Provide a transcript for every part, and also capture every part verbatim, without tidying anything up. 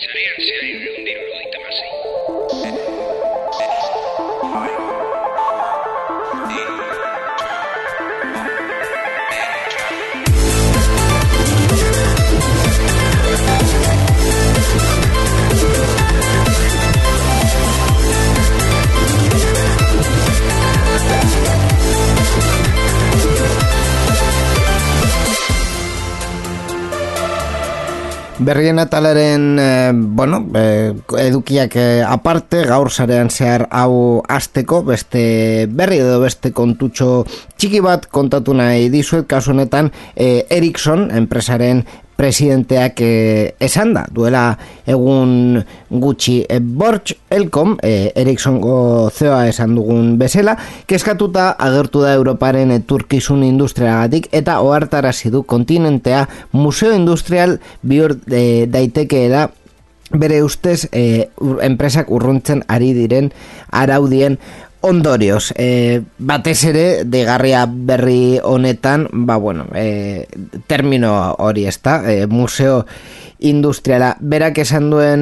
Zarean zehar hirurehun eta hirurogeita hamasei. Berrien atalaren, eh, bueno, eh, edukiak eh, aparte, gaur sarean zehar hau hasteko, beste berri edo beste kontutxo txiki bat kontatu nahi dizuet, kasu honetan eh, Ericsson, enpresaren presidenteak eh, esan da, duela egun gutxi eh, Borch Elkom, eh, Ericssongo C E O esan dugun bezala, kezkatuta agertu da Europaren eturkizun industriagatik eta ohartarazi du kontinentea museo industrial bihur eh, daitekeela bere ustez eh, ur, enpresak urruntzen ari diren araudien ondorioz. Eh, batez ere degarria berri honetan, ba bueno, eh, termino hori ezta, eh, museo industriala berak esan duen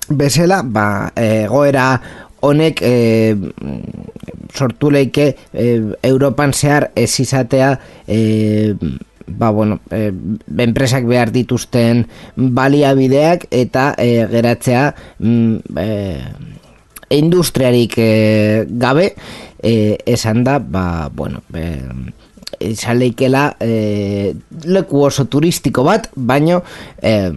bezala, ba egoera honek eh, sortu leike eh, Europan zehar ez izatea eh, ba bueno, eh, enpresak behar dituzten baliabideak eta eh, geratzea mm, eh, industriarik eh, gabe eh, esan da, ba, bueno, eh, izan leikela eh, leku oso turistiko bat, baino eh,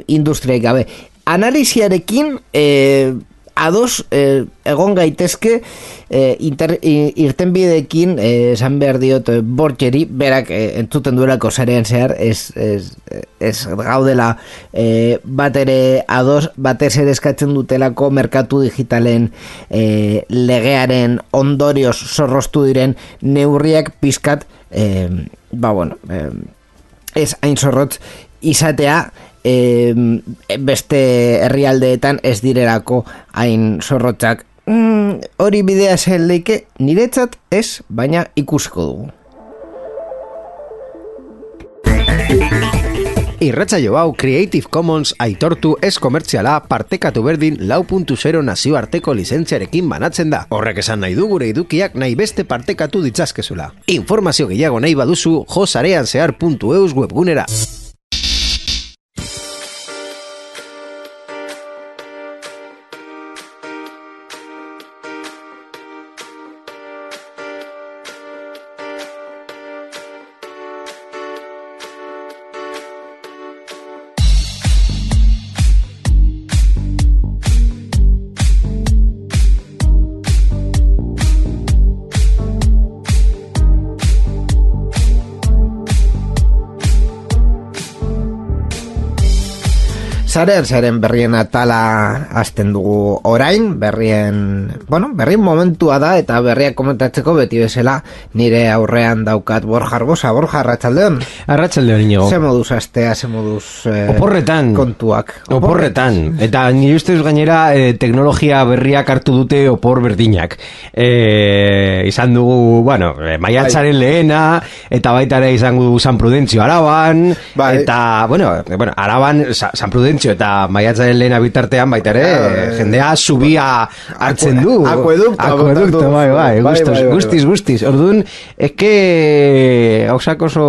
industriarik gabe. Analisiarekin eh, ados eh, egon gaitezke eh, inter, irtenbideekin eh, esan behar diot eh, Borcheri, berak eh, entzuten duelako sarean zehar ez, ez, ez gaudela eh, bat ere ados, batez ere eskatzen dutelako merkatu digitalen eh, legearen ondorioz zorroztu diren neurriak pizkat eh, ba bueno eh, ez hain zorrotz izatea E, beste herrialdeetan ez direlako hain zorrotzak. Mm, hori bidea zen leike niretzat ez, baina ikusiko dugu. Irratsaio hau Creative Commons aitortu ez komertziala partekatu berdin lau puntu zero nazioarteko lizentziarekin banatzen da. Horrek esan nahi du gure edukiak nahi beste partekatu ditzazkezula. Informazio gehiago nahi baduzu jo sarean zehar puntu eus webgunera. Zaren, zaren berrien atala hasten dugu orain, berrien, bueno, berrien momentua da eta berriak komentatzeko beti bezala nire aurrean daukat Borja Arbosa. Borja, arratsaldeon. Arratsaldeon, Inigo. Ze moduz astea, ze moduz eh, oporretan, kontuak. Oporretan. Eta nire ustez gainera eh, teknologia berriak hartu dute opor berdinak. Eh, izan dugu, bueno, eh, maiatzaren lehena, eta baita ere izango dugu San Prudentzio Araban, bai. Eta, bueno, bueno, Araban, San Prudentzio eta maiatzaren lehena bitartean baita ere eh, jendea subia hartzen du akuedukto, akuedukto, bai, bai, gustos, bai, bai, bai, guztiz, guztiz. Orduan, eske hausak oso,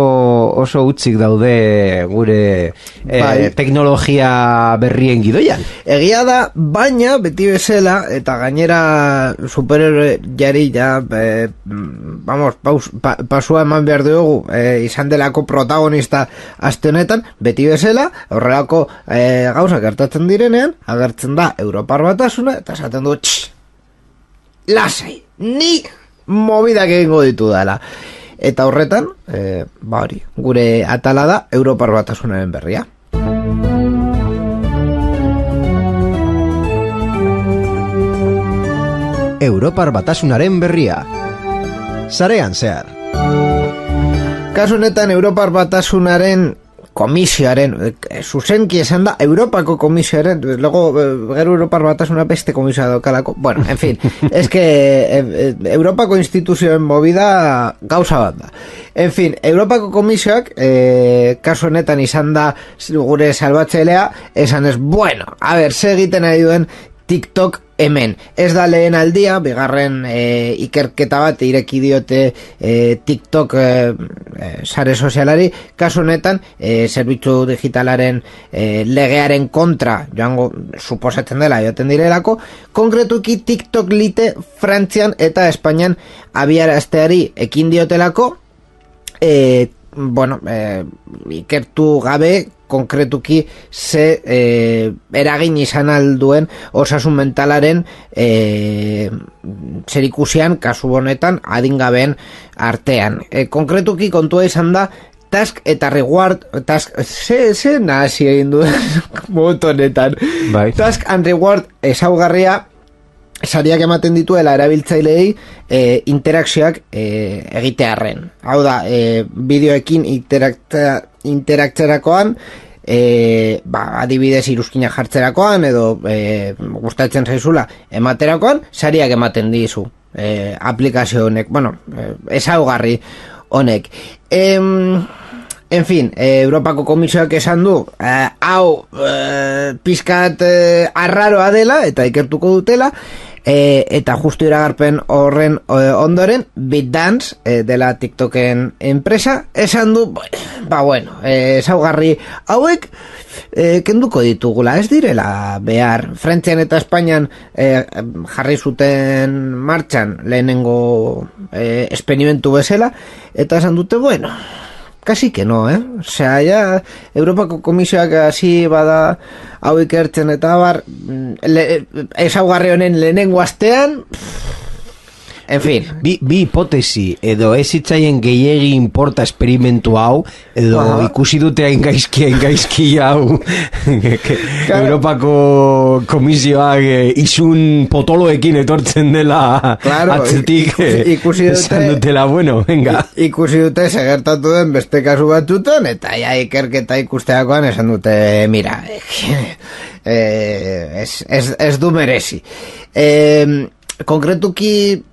oso utzik daude gure eh, teknologia berrien gidoian. Egia da, baina beti bezala, eta gainera superhéroe jari ja, eh, vamos, paus, pa, pasua eman behar dugu, eh, izan delako protagonista aste honetan, beti bezala, horrelako eh, gauza gertatzen direnean, agertzen da Europar Batasuna, eta esaten du, tx, lasai, ni mobidak egingo ditu dela. Eta horretan, e, ba hori, gure atala da Europar Batasunaren berria. Europar Batasunaren berria. Sarean zehar. Kasu honetan Europar Batasunaren komisioaren, eh, zuzenki esan da, Europako komisioaren, luego, eh, gero Europar batasuna beste komisioa daukalako, bueno, en fin, es que eh, Europako instituzioen movida gauza bat da. En fin, Europako komisioak, eh, kasu honetan izan da gure salbatzailea, esan ez, bueno, a ver, ze egiten ari duen TikTok hemen. Ez da lehen aldia, bigarren e, ikerketa bat ireki diote e, TikTok e, e, sare sozialari, kasu honetan e, zerbitzu digitalaren e, legearen kontra joango suposatzen dela joten direlako, konkretuki TikTok lite Frantzian eta Espainian abiarazteari ekin diotelako, e, bueno, e, ikertu gabe konkretuki ze eh, eragin izan alduen osasun mentalaren eh, zerikusian kasu honetan adingabeen artean. Eh, konkretuki kontua izan da task eta reward task, ze, ze nazi egin duen motonetan. Bai. Task and reward ezaugarria sariak ematen dituela erabiltzaileei e, interakzioak e, egitearren. Hau da, e, bideoekin interaktzea interaktzerakoan, e, ba, adibidez iruzkina jartzerakoan edo e, gustatzen zaizula ematerakoan, sariak ematen dizu e, aplikazio honek, bueno, e, ezaugarri honek. Em, en fin, e, Europako Komisioak esan du, e, hau e, pizkat e, arraroa dela eta ikertuko dutela, E, eta justu iragarpen horren e, ondoren BitDance e, dela TikToken enpresa esan du, ba bueno, e, ezaugarri hauek e, kenduko ditugula, ez direla behar. Frantzian eta Espainian e, jarri zuten martxan lehenengo e, esperimentu bezala, eta esan dute, bueno, casi que no, eh? Osea, ya Europako Komisioak hasi bada hau ikertzen eta bar, ezaugarri honen lehenengo astean, en fin. Bi, bi hipotesi, edo ez hitzaien gehiegi importa esperimentu hau, edo Aha. ikusi dute hain gaizki, hain gaizki hau, Claro. Europako Komisioak eh, izun potoloekin etortzen dela Claro, atzetik, ikusi- ikusi dute- esan dutela, bueno, venga. I- ikusi dute segertatu den beste kasu batzutan, eta ja ikerketa ikusteakoan esan dute, mira, eh, ez, ez, ez du merezi. Eh, konkretuki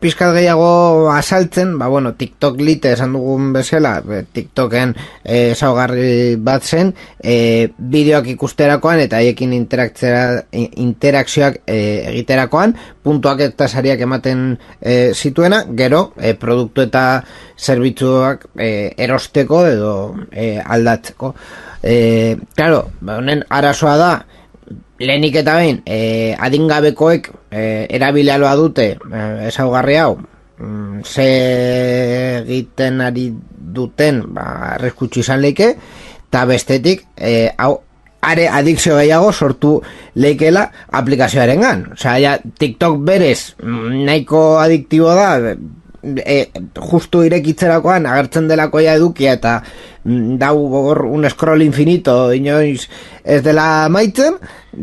pizkat gehiago asaltzen, ba bueno, TikTok lite esan dugun bezala, TikToken eh, ezaugarri bat zen, eh, bideoak ikusterakoan eta haiekin interakzioak eh, egiterakoan, puntuak eta sariak ematen eh, zituena, gero eh, produktu eta zerbitzuak eh, erosteko edo eh, aldatzeko. Eh, claro, honen arazoa da, lehenik eta behin, eh, adingabekoek eh, erabilialoa dute eh, ezaugarri hau, mm, ze egiten ari duten, ba, arreskutsu izan leike, eta bestetik, eh, hau, are adikzio gehiago sortu leikela aplikazioaren gan. Osea, ja, TikTok berez nahiko adiktibo da, e, justu irekitzerakoan agertzen delako ja edukia eta mm, dau hor un scroll infinito inoiz ez dela maitzen,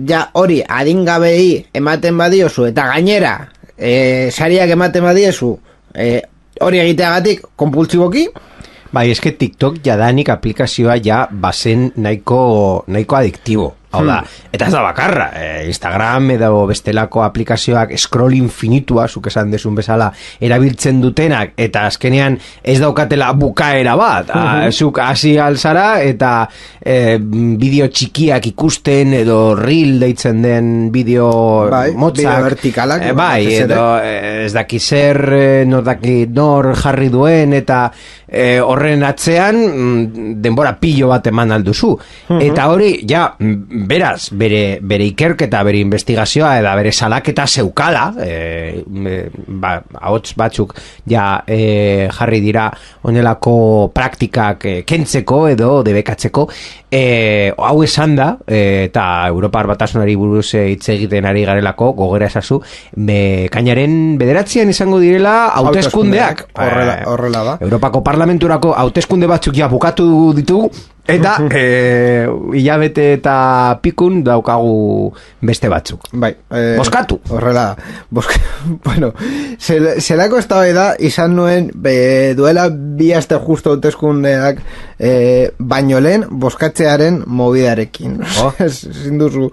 ja hori adingabei ematen badiozu eta gainera e, sariak ematen badiezu e, hori egiteagatik konpultsiboki. Bai, eske TikTok jadanik aplikazioa ja bazen nahiko, nahiko adiktibo. Hau da, eta ez da bakarra, eh, Instagram edo bestelako aplikazioak scroll infinitua, zuk esan desun bezala, erabiltzen dutenak, eta azkenean ez daukatela bukaera bat, uh-huh. Zuk hasi alzara, eta eh, bideo txikiak ikusten, edo reel deitzen den bideo Bai, motzak. bideo vertikalak, Eh, bai, batez ere. edo eh, ez daki zer, eh, nor daki nor jarri duen, eta eh, horren atzean mm, denbora pilo bat eman alduzu. Uh-huh. Eta hori, ja, beraz, bere, bere ikerketa, bere investigazioa, eta bere salaketa zeukala, e, ba, ahots batzuk ja e, jarri dira onelako praktikak e, kentzeko edo debekatzeko, e, hau esan da, e, eta Europar Batasunari buruz hitz egiten ari garelako, gogera esazu, me, kainaren bederatzean izango direla hauteskundeak. Horrela, horrela da. Europako Parlamenturako hauteskunde batzuk ja bukatu ditugu, Eta eh, hilabete eta pikun daukagu beste batzuk. Bai, eh, Boskatu. Horrela, boska, bueno, zel, zelako eztabaida izan nuen be, duela bi aste justo hauteskundeak eh, baino lehen boskatzearen mobidarekin. Oh. Ezin duzu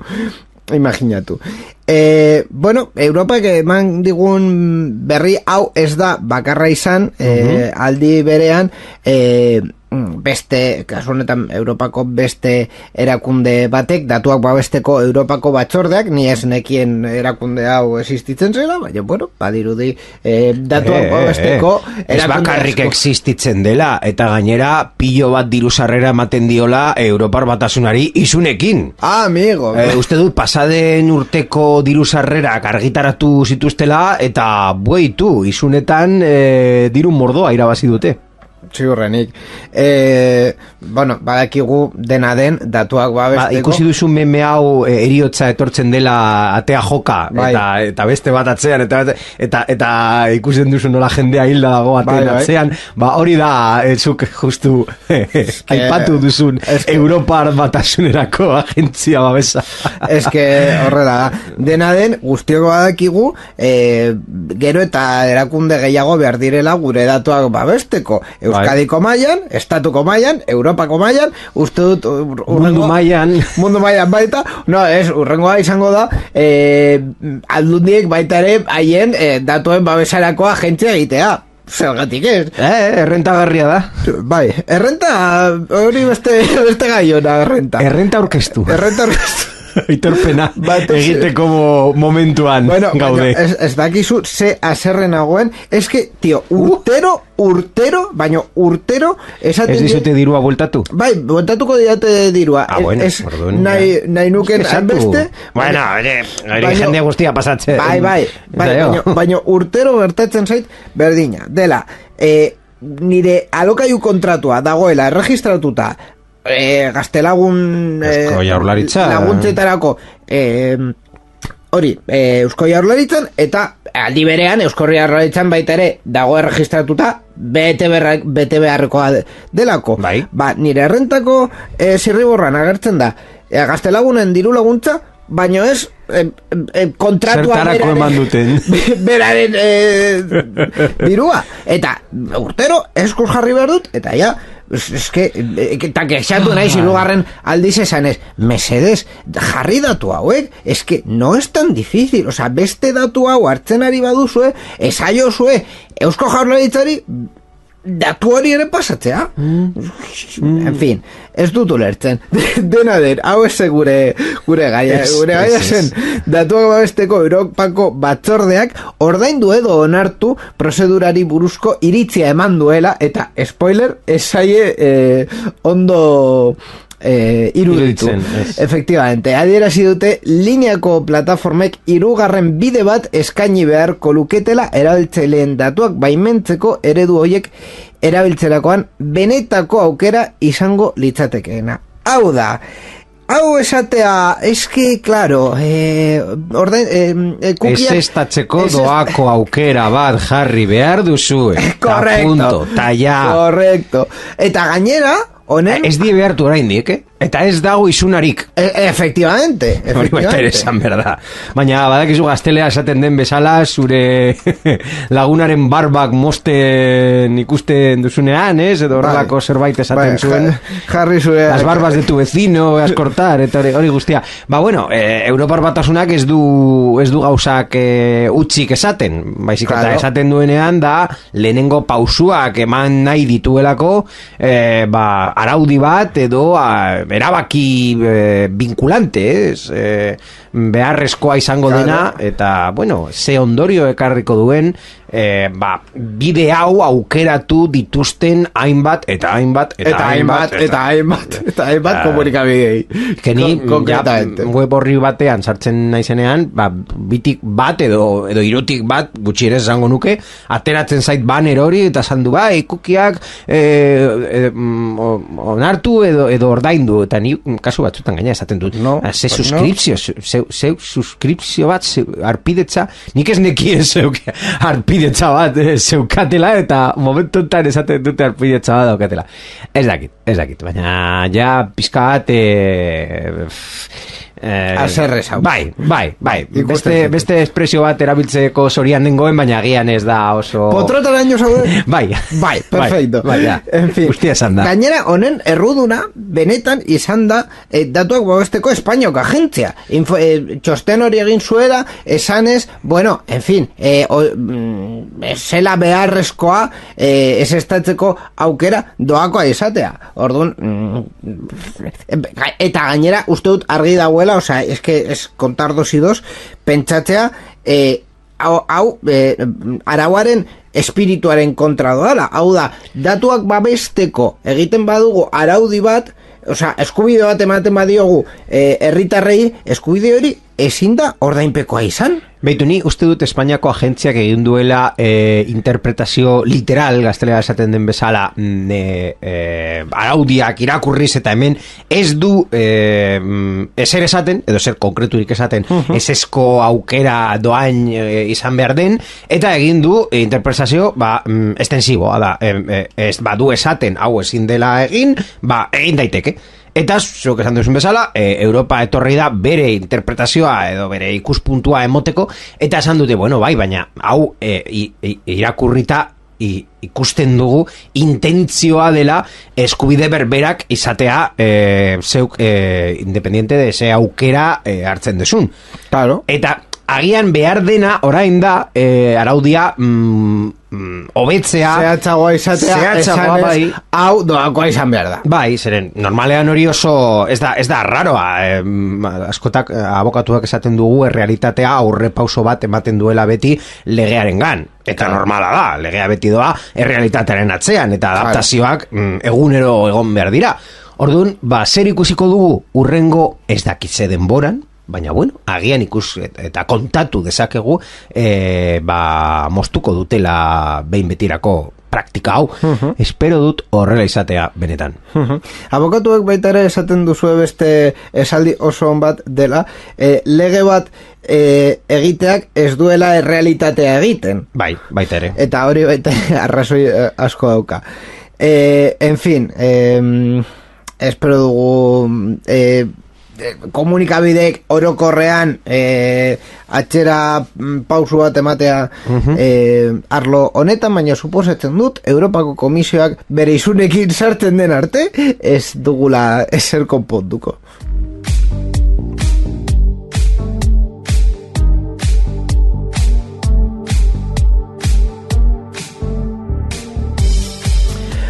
imaginatu. Eh, bueno, Europak eman digun berri hau ez da bakarra izan, eh, aldi berean eh, beste, kasu honetan Europako beste erakunde batek, datuak babesteko Europako batzordeak, ni ez nekien erakunde hau existitzen zela, baina, bueno, badirudi eh, datuak Eh, babesteko eh, ez bakarrik existitzen dela, eta gainera pilo bat diru sarrera ematen diola Europar Batasunari isunekin. Ah, amigo. Eh, uste dut pasaden urteko diru sarrerak argitaratu zituztela, eta bueitu, isunetan eh, diru mordoa irabazi dute. Ziurrenik. Eh, bueno, badakigu dena den datuak babesteko. Ba, ikusi duzu meme hau e, eriotza etortzen dela atea joka, Bai. eta, eta beste bat atzean, eta, eta, eta ikusten duzu nola jendea hilda dago ateen Bai, bai. atzean, ba hori da, e, zuk justu aipatu duzun eske- Europar Batasunerako agentzia babesa. Ez que horrela da. Dena den, guztioko badakigu, eh, gero eta erakunde gehiago behar direla gure datuak babesteko. Euskadiko mailan, estatuko mailan, Europako mailan, uste dut ur- Mundu mailan. mundu mailan baita, no, ez, urrengoa izango da, eh, aldundiek baita ere haien eh, datuen babesarako agentzia egitea. Zergatik ez? Eh, errentagarria da. Bai, errenta, hori beste, beste gaiona, errenta. Errenta orkestu. Errenta orkestu. Aitorpena Bat- egiteko mo- momentuan Bueno, gaude. baina ez, ez dakizu ze aserren nagoen, es que, tio, urtero, urtero, baino urtero, esaten... Ez die- dizute dirua bueltatu? Bai, bueltatuko diate dirua. Ah, bueno, Ez, orduan, nahi, ja. nahi nuken Ez que sartu. beste... Bueno, ere, hori Baino- jende guztia pasatzen. Bai, bai, bai, Zaio. baino, baino urtero gertatzen zait berdina. Dela, eh, nire alokaiu kontratua dagoela erregistratuta eh, gaztelagun Eusko Jaurlaritza. laguntzetarako eh, hori, eh, Eusko Jaurlaritzan, eta aldi berean Eusko Jaurlaritzan baita ere dago erregistratuta bete, berra, bete beharrekoa de- delako. Bai. Ba, nire errentako eh, zirriborran agertzen da eh, gaztelagunen diru laguntza, baino ez eh, eh, kontratua Zertarako eman duten. beraren eh, dirua, eta urtero eskuz jarri behar dut, eta ja es, es que, eh, eta kexatu naiz hirugarren aldiz esanez, mesedez, jarri datu hauek, es que no es tan difícil, o sea, beste datu hau hartzen ari baduzue, esaiozue, Eusko Jaurlaritzari datu hori ere pasatzea. Mm. En fin, ez dut ulertzen. Dena den, hau ez gure gure gaia, Ez, gure gaia ez, ez. zen datuak babesteko Europako batzordeak ordaindu edo onartu prozedurari buruzko iritzia eman duela, eta spoiler, ez zaie eh, ondo eh, iruditu. Iruditzen, ez. Efectivamente, adierazi dute lineako plataformek hirugarren bide bat eskaini beharko luketela erabiltzaileen datuak baimentzeko eredu hoiek erabiltzerakoan benetako aukera izango litzatekeena. Hau da, hau esatea, eske, claro, eh, orden, eh, kukiak... Ez estatzeko Ez- doako aukera bat jarri behar duzu. Correcto. Punto, ta ja. Correcto. Eta gainera, honen... Ez die behartu oraindik, eh? Eta ez dago isunarik. E- efectivamente, Hori baita ere efectivamente. esan berda. Baina badakizu gaztelea esaten den bezala, zure lagunaren barbak mosten ikusten duzunean, ez? Edo horrelako Bai. zerbait esaten Bai, zuen. ja- jarri zure... Las barbas de tu vecino, vas cortar, eta hori, hori guztia. Ba, bueno, eh, Europar Batasunak ez du, ez du gauzak eh, utzik esaten. Baizik eta Claro. esaten duenean da, lehenengo pausuak eman nahi dituelako, eh, ba, araudi bat edo a, erabaki eh, vinculante, ez? Eh, beharrezkoa izango Claro. dena, eta, bueno, ze ondorio ekarriko duen, eh, ba, bide hau aukeratu dituzten hainbat, eta hainbat, eta, Eta hainbat, eta hainbat, eta hainbat Ah. komunikabidei. Que ni Kon- ja, konkretamente. web horri batean sartzen naizenean, ba, bitik bat edo edo hirutik bat gutxienez esango nuke, ateratzen zait banner hori eta esan du bai, kukiak eh, eh, mm, o- onartu edo edo ordaindu eta ni kasu batzutan gaina esaten dut. No, ze pues suskripzio, zeu, zeu suskripzio bat, zeu, arpidetza, nik ez nekien zeuk arpidetza bat eh, zeukatela, eta momentu enten esaten dute arpidetza bat daukatela. Ez dakit, ez dakit, baina ja pizka bat... Eh, Eh, Azerrez hau. Bai, bai, bai. Ikusten Beste, zuten. beste espresio bat erabiltzeko zorian dengoen, baina agian ez da oso... Potrotaraino zaude? Bai. Bai, perfecto. Bai, bai, ja. En fin. Guztia esan da. Gainera, honen erruduna, benetan izan da eh, datuak babesteko Espainiok agentzia. Info, eh, txosten hori egin zuela, esanez, bueno, en fin, eh, o, mm, zela beharrezkoa eh, ez estatzeko aukera doakoa izatea. Orduan, mm, eta gainera, uste dut argi dagoela, osea, es que es contar dos y dos, pentsatzea, eh, hau, hau eh, arauaren espirituaren kontra doala, hau da, datuak babesteko egiten badugu araudi bat, osea, eskubide bat ematen badiogu eh, herritarrei, eskubide hori ezin da ordainpekoa izan. Beitu, ni uste dut Espainiako agentziak egin duela e, interpretazio literal, gaztelera esaten den bezala, mm, e, e, araudiak irakurriz eta hemen ez du e, ezer esaten, edo zer konkreturik esaten, uh-huh. esesko aukera doain e, izan behar den, eta egin du e, interpretazio ba, mm, estensiboa da, e, e, ez badu esaten hau ezin dela egin, ba, egin daiteke. Eta, zuek esan duzun bezala, e, Europa etorri da bere interpretazioa edo bere ikuspuntua emoteko, eta esan dute, bueno, bai, baina hau e, i, i, irakurrita i, ikusten dugu intentzioa dela eskubide berberak izatea e, zeuk e, independiente de ze aukera e, hartzen duzun. Claro. Eta agian behar dena orain da e, araudia mm, mm, hobetzea zehatzagoa izatea, zehatzagoa, esanez, bai. hau doakoa izan behar da. Bai, zeren, normalean hori oso ez da, ez da raroa, eh, askotak eh, abokatuak esaten dugu errealitatea aurre pauso bat ematen duela beti legearengan. Eta normala da, legea beti doa errealitatearen atzean, eta adaptazioak mm, egunero egon behar dira. Orduan, ba, zer ikusiko dugu urrengo ez dakitze denboran, baina bueno, agian ikus eta kontatu dezakegu e, ba, moztuko dutela behin betirako praktika hau. Uh-huh. Espero dut horrela izatea benetan. Uh-huh. Abokatuek baita ere esaten duzue beste esaldi oso on bat dela, e, lege bat e, egiteak ez duela errealitatea egiten. Bai, baita ere. Eta hori baita arrazoi eh, asko dauka. E, en fin, e, espero dugu... E, komunikabidek orokorrean eh, atxera pausu bat ematea uh-huh. eh, arlo honetan, baina suposatzen dut Europako Komisioak bere isunekin sartzen den arte ez dugula ezer konponduko.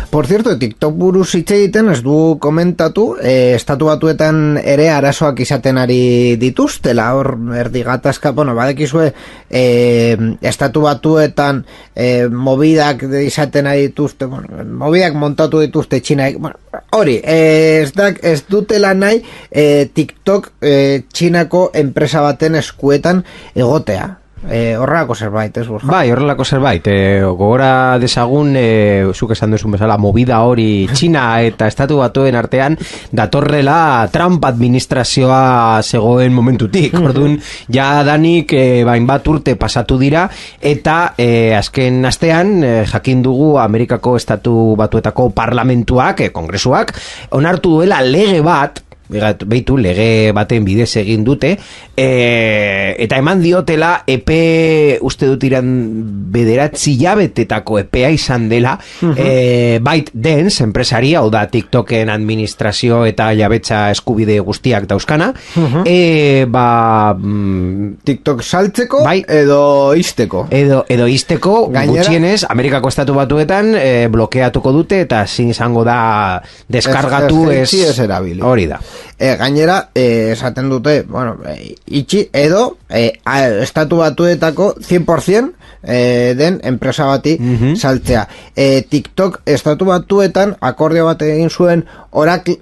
Por cierto, TikTok buruz hitz egiten ez du komentatu, eh, estatu batuetan ere arazoak izaten ari dituztela, hor erdi gatazka, bueno, badekizue, eh, estatu batuetan eh, mobidak izaten ari dituzte, bueno, mobidak montatu dituzte Txinaik, bueno, hori, eh, ez, dak, ez dutela nahi eh, TikTok eh, Txinako enpresa baten eskuetan egotea. Eh, horrelako zerbait, ez Borja? Bai, horrelako zerbait. Eh, gogora dezagun, eh, zuk esan duzun bezala, movida hori Txina eta estatu batuen artean datorrela Trump administrazioa zegoen momentutik. Orduan, ja danik eh, bain bat urte pasatu dira, eta eh, azken astean eh, jakin dugu Amerikako estatu batuetako parlamentuak, eh, kongresuak, onartu duela lege bat, beitu lege baten bidez egin dute, e, eta eman diotela epe uste dut iran bederatzi jabetetako epea izan dela, uh-huh. e, ByteDance enpresaria, hau da TikToken administrazio eta jabetza eskubide guztiak dauzkana, uh-huh. e, ba mm, TikTok saltzeko bai, edo izteko edo, edo izteko gainera, gutxienez Amerikako estatu batuetan e, blokeatuko dute eta zin izango da deskargatu ez, ez, ez erabili. Hori da. E, gainera, e, esaten dute, bueno, e, itxi edo e, a, estatu batuetako cien por ciento e, den enpresa bati uh-huh. saltzea. E, TikTok estatu batuetan akordio bat egin zuen Oracle,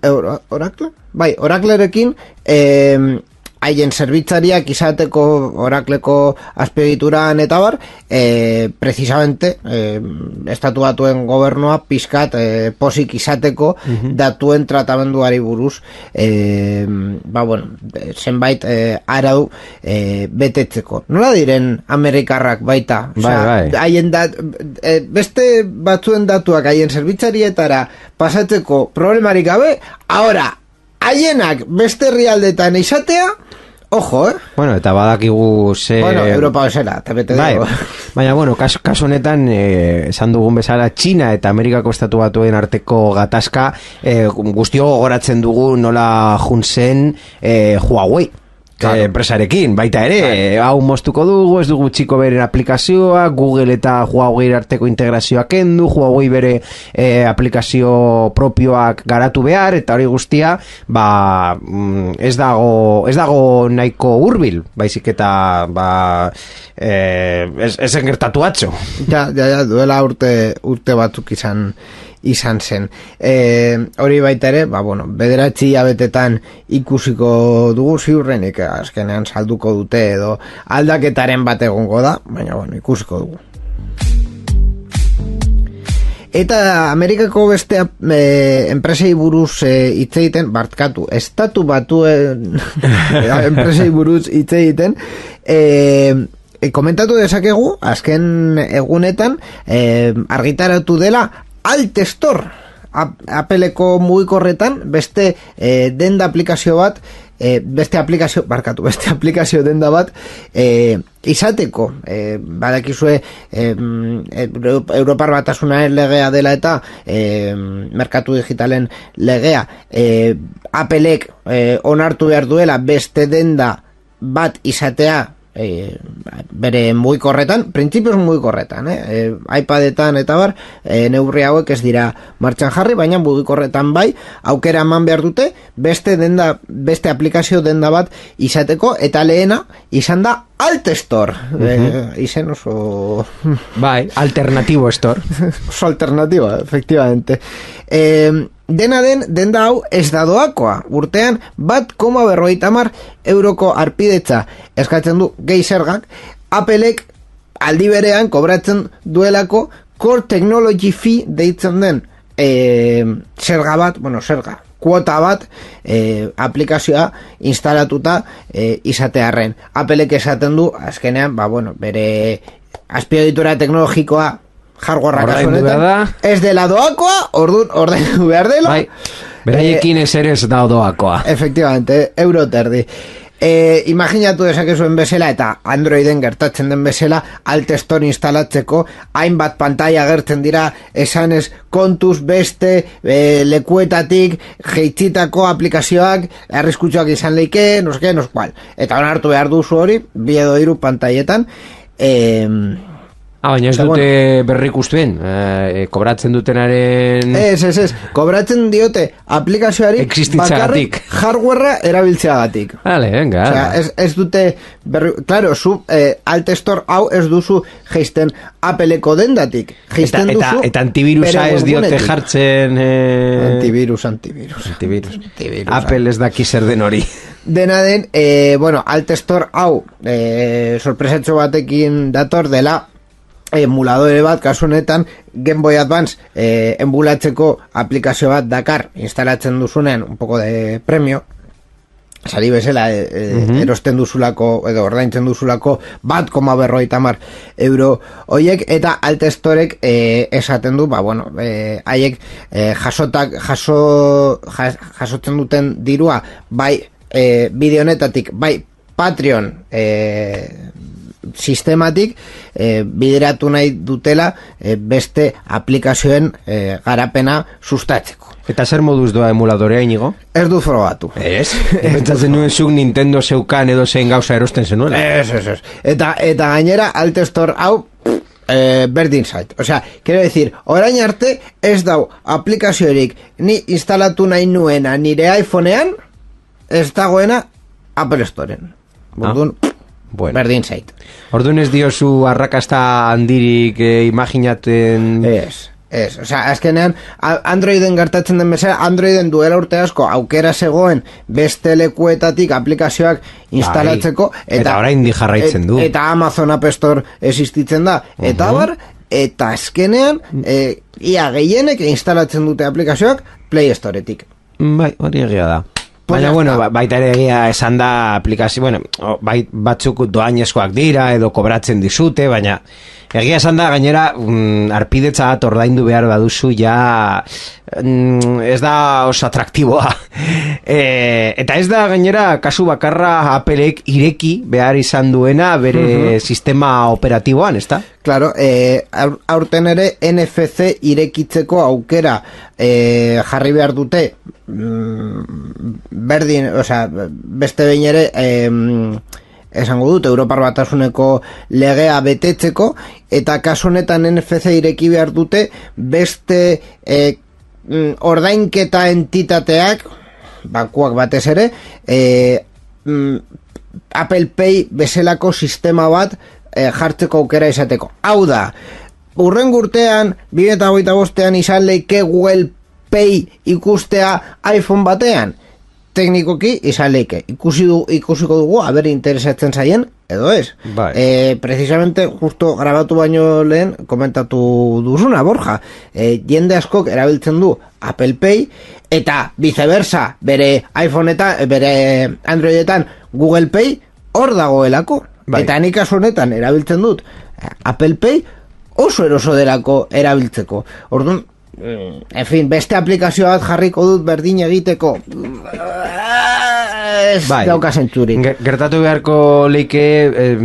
Oracle? Bai, Oraclerekin e, haien zerbitzariak izateko Orakleko azpiegituran eta bar, e, precisamente e, estatu batuen gobernua pizkat e, posik izateko uh-huh. datuen tratamenduari buruz e, ba bueno, zenbait e, arau e, betetzeko. Nola diren Amerikarrak baita? Bai, bai. Haien dat, e, beste batzuen datuak haien zerbitzarietara pasatzeko problemarik gabe, ahora haienak beste herrialdetan izatea, ojo, eh? Bueno, eta badakigu ze... Bueno, Europa bezala, eta bete bai, dugu. Baina, bueno, kasu, kasu honetan, eh, esan dugun bezala, Txina eta Amerikako estatu batuen arteko gatazka, eh, guztio gogoratzen dugu nola juntzen eh, Huawei. Claro. Enpresarekin, baita ere, claro. Hau moztuko dugu, ez dugu txiko beren aplikazioa, Google eta Huawei arteko integrazioak kendu, Huawei bere eh, aplikazio propioak garatu behar, eta hori guztia, ba, ez dago, ez dago nahiko hurbil, baizik eta, ba, eh, ez, ez engertatu atzo. Ja, ja, ja, duela urte, urte batzuk izan, izan zen. E, hori baita ere, ba, bueno, bederatzi abetetan ikusiko dugu ziurrenik, azkenean salduko dute edo aldaketaren bat egongo da, baina, bueno, ikusiko dugu. Eta Amerikako beste e, enpresei buruz hitz e, egiten, barkatu, estatu batuen enpresei buruz hitz egiten, e, e, komentatu dezakegu, azken egunetan, e, argitaratu dela Altestor, Appleko mugikorretan beste e, denda aplikazio bat, e, beste aplikazio, barkatu, beste aplikazio denda bat e, izateko, e, badakizue e, Europar Batasunaren legea dela eta e, merkatu digitalen legea, e, Applek e, onartu behar duela beste denda bat izatea E, bere mugikorretan, printzipioz mugikorretan, eh? E, iPadetan eta bar, e, neurri hauek ez dira martxan jarri, baina mugikorretan bai, aukera eman behar dute, beste denda, beste aplikazio denda bat izateko, eta lehena izan da Altestor. Uh-huh. E, izen oso... Bai, alternatibo store. Oso alternatibo, efectivamente. E, dena den, denda hau ez da doakoa. Urtean, bat koma berrogeita hamar euroko arpidetza eskatzen du gehi zergak, Applek aldi berean kobratzen duelako Core Technology Fee deitzen den e, zerga bat, bueno, zerga, kuota bat e, aplikazioa instalatuta e, izatearren. Applek esaten du, azkenean, ba, bueno, bere azpiegitura teknologikoa hardwarea kasu honetan ez dela doakoa, orduan ordaindu behar dela. Bai, beraiekin ez ere ez da doakoa. Efectivamente, euro terdi. E, imaginatu dezakezuen bezala eta Androiden gertatzen den bezala Altestor instalatzeko hainbat pantalla gertzen dira esanez kontuz beste e, lekuetatik jeitzitako aplikazioak arriskutsuak izan leike, no sé qué, no sé cual. Eta onartu behar duzu hori, bi edo hiru pantaietan. Ehm Ah, baina ez dute berrik ustuen, eh, kobratzen dutenaren... Ez, ez, ez, kobratzen diote aplikazioari bakarrik hardwarea erabiltzeagatik. Vale, venga. O sea, ez, ez dute berri... Claro, zu eh, Altestor hau ez duzu geisten Appleko dendatik. Geisten eta, duzu... Eta, eta antivirusa ez diote jartzen... Eh... Antivirus, antivirus. Antivirus. antivirus Apple ez daki zer den hori. Dena den, eh, bueno, Altestor hau eh, sorpresatxo batekin dator dela emuladore bat, kasu honetan Game Boy Advance eh, emulatzeko aplikazio bat dakar instalatzen duzunen un poco de premio sari bezala e, e, uh-huh. erosten duzulako edo ordaintzen duzulako bat koma berrogeita hamar euro hoiek, eta Altestorek e, esaten du, ba bueno, e, haiek e, jasotak jaso jas, jasotzen duten dirua bai e, bideo honetatik, bai Patreon e, sistematik e, bideratu nahi dutela e, beste aplikazioen e, garapena sustatzeko. Eta zer moduz doa emuladorea, Inigo? Ez du frogatu. Ez? Pentsatzen nuen zuk Nintendo zeukan edo zein gauza erosten zenuela. Ez, ez, ez. Eta, eta gainera Altestor hau eh, berdin zait. Osea, quiero decir, orain arte ez dau aplikaziorik ni instalatu nahi nuena nire iPhonean ez dagoena Apple Storen. Bordun, ah. Bueno. Berdin zait. Orduan ez diozu arrakasta handirik eh, imaginaten... Ez. Ez, osea, azkenean Androiden gertatzen den bezala, Androiden duela urte asko aukera zegoen beste lekuetatik aplikazioak instalatzeko, bai, eta, eta orain di jarraitzen du. Et, eta Amazon App Store existitzen da, eta uh-huh. bar, eta azkenean e, ia gehienek instalatzen dute aplikazioak Play Storetik. Bai, hori egia da. Baina, bueno, baita ere egia esan da aplikazio, bueno, bai, batzuk doainezkoak dira edo kobratzen dizute, baina egia esan da, gainera, mm, arpidetza bat ordaindu behar baduzu, ja mm, ez da oso atraktiboa. e, eta ez da, gainera, kasu bakarra Applek ireki behar izan duena bere uh-huh. sistema operatiboan, ez da? Claro, eh, aurten ere N F C irekitzeko aukera eh, jarri behar dute mm, berdin, osea, beste behin ere eh, esango dut, Europar Batasuneko legea betetzeko, eta kasu honetan N F C ireki behar dute beste eh, ordainketa entitateak, bankuak batez ere, eh, Apple Pay bezalako sistema bat eh, jartzeko aukera izateko. Hau da, urren urtean, bi mila hogeita bostean izan leike Google Pay ikustea iPhone batean. Teknikoki izan leike. Ikusi du, ikusiko dugu, aber interesatzen zaien, edo ez. Bai. Eh, precisamente, justo grabatu baino lehen, komentatu duzuna, Borja. Eh, jende askok erabiltzen du Apple Pay, eta viceversa, bere iPhoneetan, bere Androidetan Google Pay, hor dagoelako. Bai. Eta nik kasu honetan erabiltzen dut Apple Pay oso eroso delako erabiltzeko. Orduan, en fin, beste aplikazio bat jarriko dut berdin egiteko. Ez bai. Dauka zentzurik. Gertatu beharko leike eh,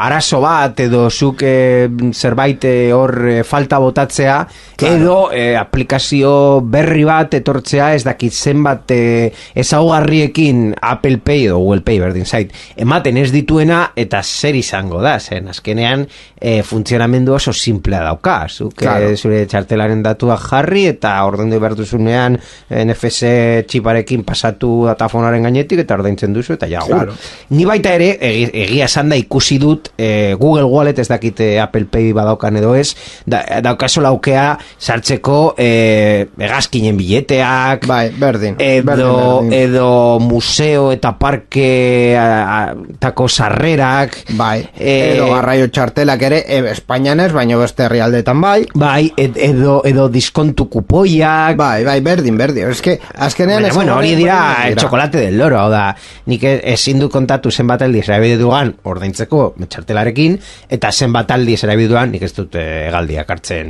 arazo bat edo zuk eh, zerbait hor eh, falta botatzea, claro. Edo eh, aplikazio berri bat etortzea, ez dakit zenbat eh, ezaugarriekin Apple Pay edo Google Pay berdin zait ematen ez dituena, eta zer izango da, zen azkenean eh, funtzionamendu oso simplea dauka, zuk claro. eh, zure txartelaren datua jarri eta ordaindu behar duzunean N F C txiparekin pasatu datafonaren gainetik eta ordaintzen duzu eta ja, claro. Ni baita ere egi, egia esan da ikusi dut eh, Google Wallet, ez dakite Apple Pay badaukan edo ez, da, daukazo laukea sartzeko eh, egazkinen bileteak, bai, berdin, edo, berdin, berdin. edo museo eta parke a, a, tako sarrerak, bai, eh, edo garraio txartelak ere e, Espainian ez, baina beste herrialdetan bai, bai, ed, edo, edo diskontu kupoiak, bai, bai, berdin, berdin, es que azkenean bueno, bueno, hori dira el chocolate del loro, hau da, nik ezin du kontatu zenbat aldiz erabidetuan ordaintzeko txartelarekin, eta zenbat aldiz erabidetuan nik ez dut egaldiak hartzen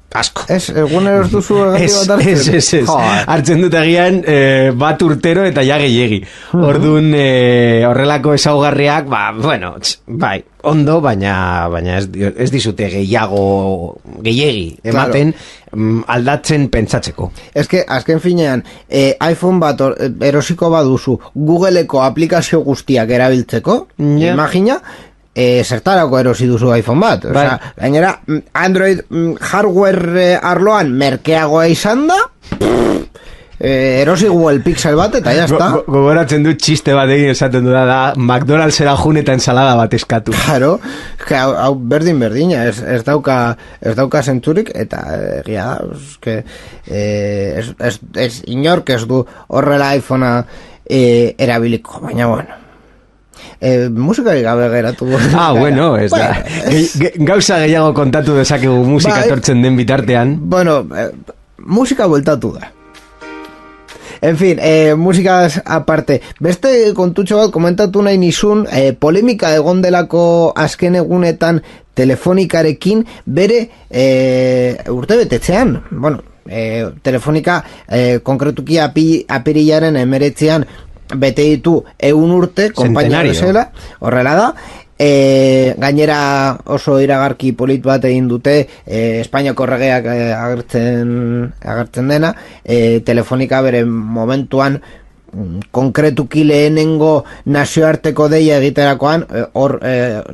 asko. Ez, egunero ez duzu egaldi bat hartzen? Ez, ez, ez, hartzen dut egian eh, bat urtero eta ja gehiegi. Orduan eh, horrelako ezaugarriak, ba, bueno, tx, bai, ondo, baina, baina ez, ez dizute gehiago gehiegi ematen, claro. Aldatzen pentsatzeko. Ez que, azken finean, eh, iPhone bat or, erosiko baduzu Googleeko aplikazio guztiak erabiltzeko, yeah. Imagina, E, zertarako erosi duzu iPhone bat, bai. Osea, gainera Android hardware arloan merkeagoa izan da, e, erosi Google Pixel bat eta ya está. Gogoratzen dut txiste bat egin esaten du da, da McDonald'sera jun eta ensalada bat eskatu. Claro, hau, hau berdin berdina, ez, ez dauka ez dauka zentzurik, eta egia da, eske, e, ez, ez, ez inork ez du horrela iPhonea e, erabiliko, baina bueno. Eh, musikari gabe geratu. Ah, bueno, ez da. Bueno, gauza gehiago kontatu dezakegu musika etortzen den bitartean. Bueno, eh, musika bueltatu da. En fin, eh, musikaz aparte, beste kontutxo bat komentatu nahi nizun, eh, polemika egon delako azken egunetan telefonikarekin bere eh, urte betetzean. Bueno, eh, telefonika eh, konkretuki api, apirilaren emeretzean bete ditu eun urte, konpainia bezala, horrela da, e, gainera oso iragarki polit bat egin dute, e, Espainiako erregeak e, agertzen, agertzen dena, e, telefonika bere momentuan konkretuki lehenengo nazioarteko deia egiterakoan hor e,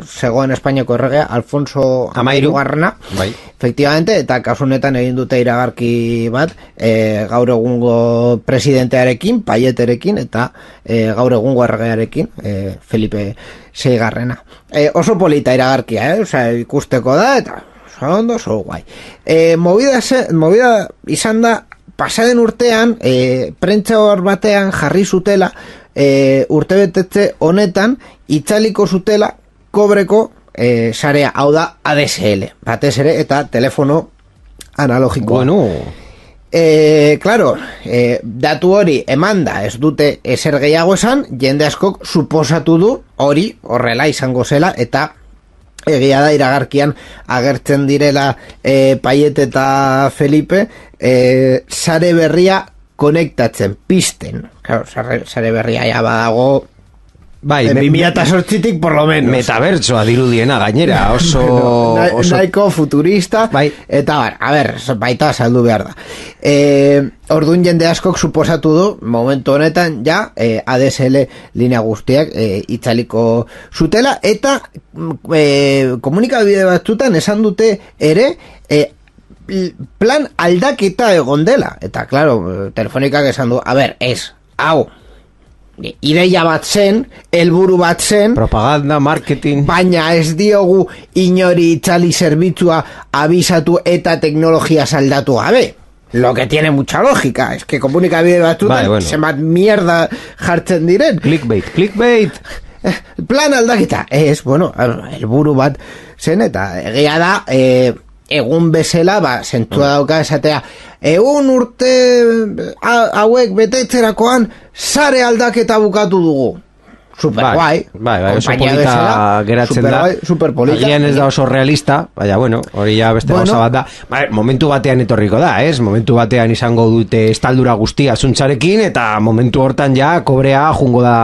zegoen Espainiako erregea Alfonso Hamairugarrena, bai. Efectivamente, eta kasunetan egin dute iragarki bat e, gaur egungo presidentearekin, Payeterekin, eta e, gaur egungo erregearekin, e, Felipe seigarrena. E, oso polita iragarkia, eh? Osea, ikusteko da, eta oso ondo, oso guai. E, movida, ze, movida izan da, pasaden urtean, e, prentza hor batean jarri zutela, e, urtebetetze honetan, itzaliko zutela, kobreko e, sarea, hau da A D S L, batez ere, eta telefono analogikoa. Bueno... E, claro, e, datu hori emanda ez dute ezer gehiago esan, jende askok suposatu du hori horrela izango zela, eta egia da iragarkian agertzen direla e, Paiet eta Felipe e, sare berria konektatzen, pisten. Claro, sare, sare berria ja badago... Bai, bi mila zortzitik por lo menos. Metabertsoa dirudiena gainera, oso... Na, oso... Nahiko futurista, bai. Eta bar, a ber, baita saldu behar da. E, Orduan jende askok suposatu du, momentu honetan, ja, e, A D S L linea guztiak e, itzaliko zutela, eta e, komunikabide batzutan esan dute ere, e, plan aldaketa egon dela. Eta, claro, telefonikak esan du, a ber, ez, hau, ideia bat zen, helburu bat zen, propaganda, marketing, baina ez diogu inori itzali zerbitzua abisatu eta teknologia saldatu gabe. Lo que tiene mucha lógica, es que komunikabide batzutan bai, bueno. Zenbat mierda jartzen diren. Clickbait, clickbait. Plan aldaketa, ez, bueno, helburu bat zen, eta egia da, e, egun bezala, ba, zentua dauka esatea, egun urte hauek betetzerakoan sare aldaketa bukatu dugu. Super guai. Bai, bai, oso polita geratzen super da. Guai, super polita. Agian ez da oso realista, baina, bueno, hori ja beste bueno, gauza bat da. Ba, momentu batean etorriko da, ez? Momentu batean izango dute estaldura guztia zuntzarekin, eta momentu hortan ja kobrea jungo da...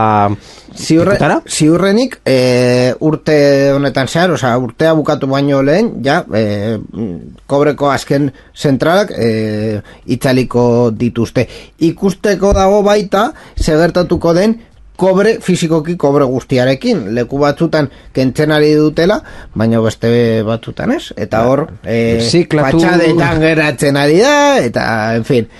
Ziurre, ziurrenik e, urte honetan zehar, osea, urtea bukatu baino lehen, ja, e, kobreko azken zentralak e, itzaliko dituzte. Ikusteko dago baita, segertatuko den, kobre, fizikoki kobre guztiarekin. Leku batzutan kentzen ari dutela, baina beste batzutan ez. Eta hor, e, patxadetan geratzen ari da, eta, en fin...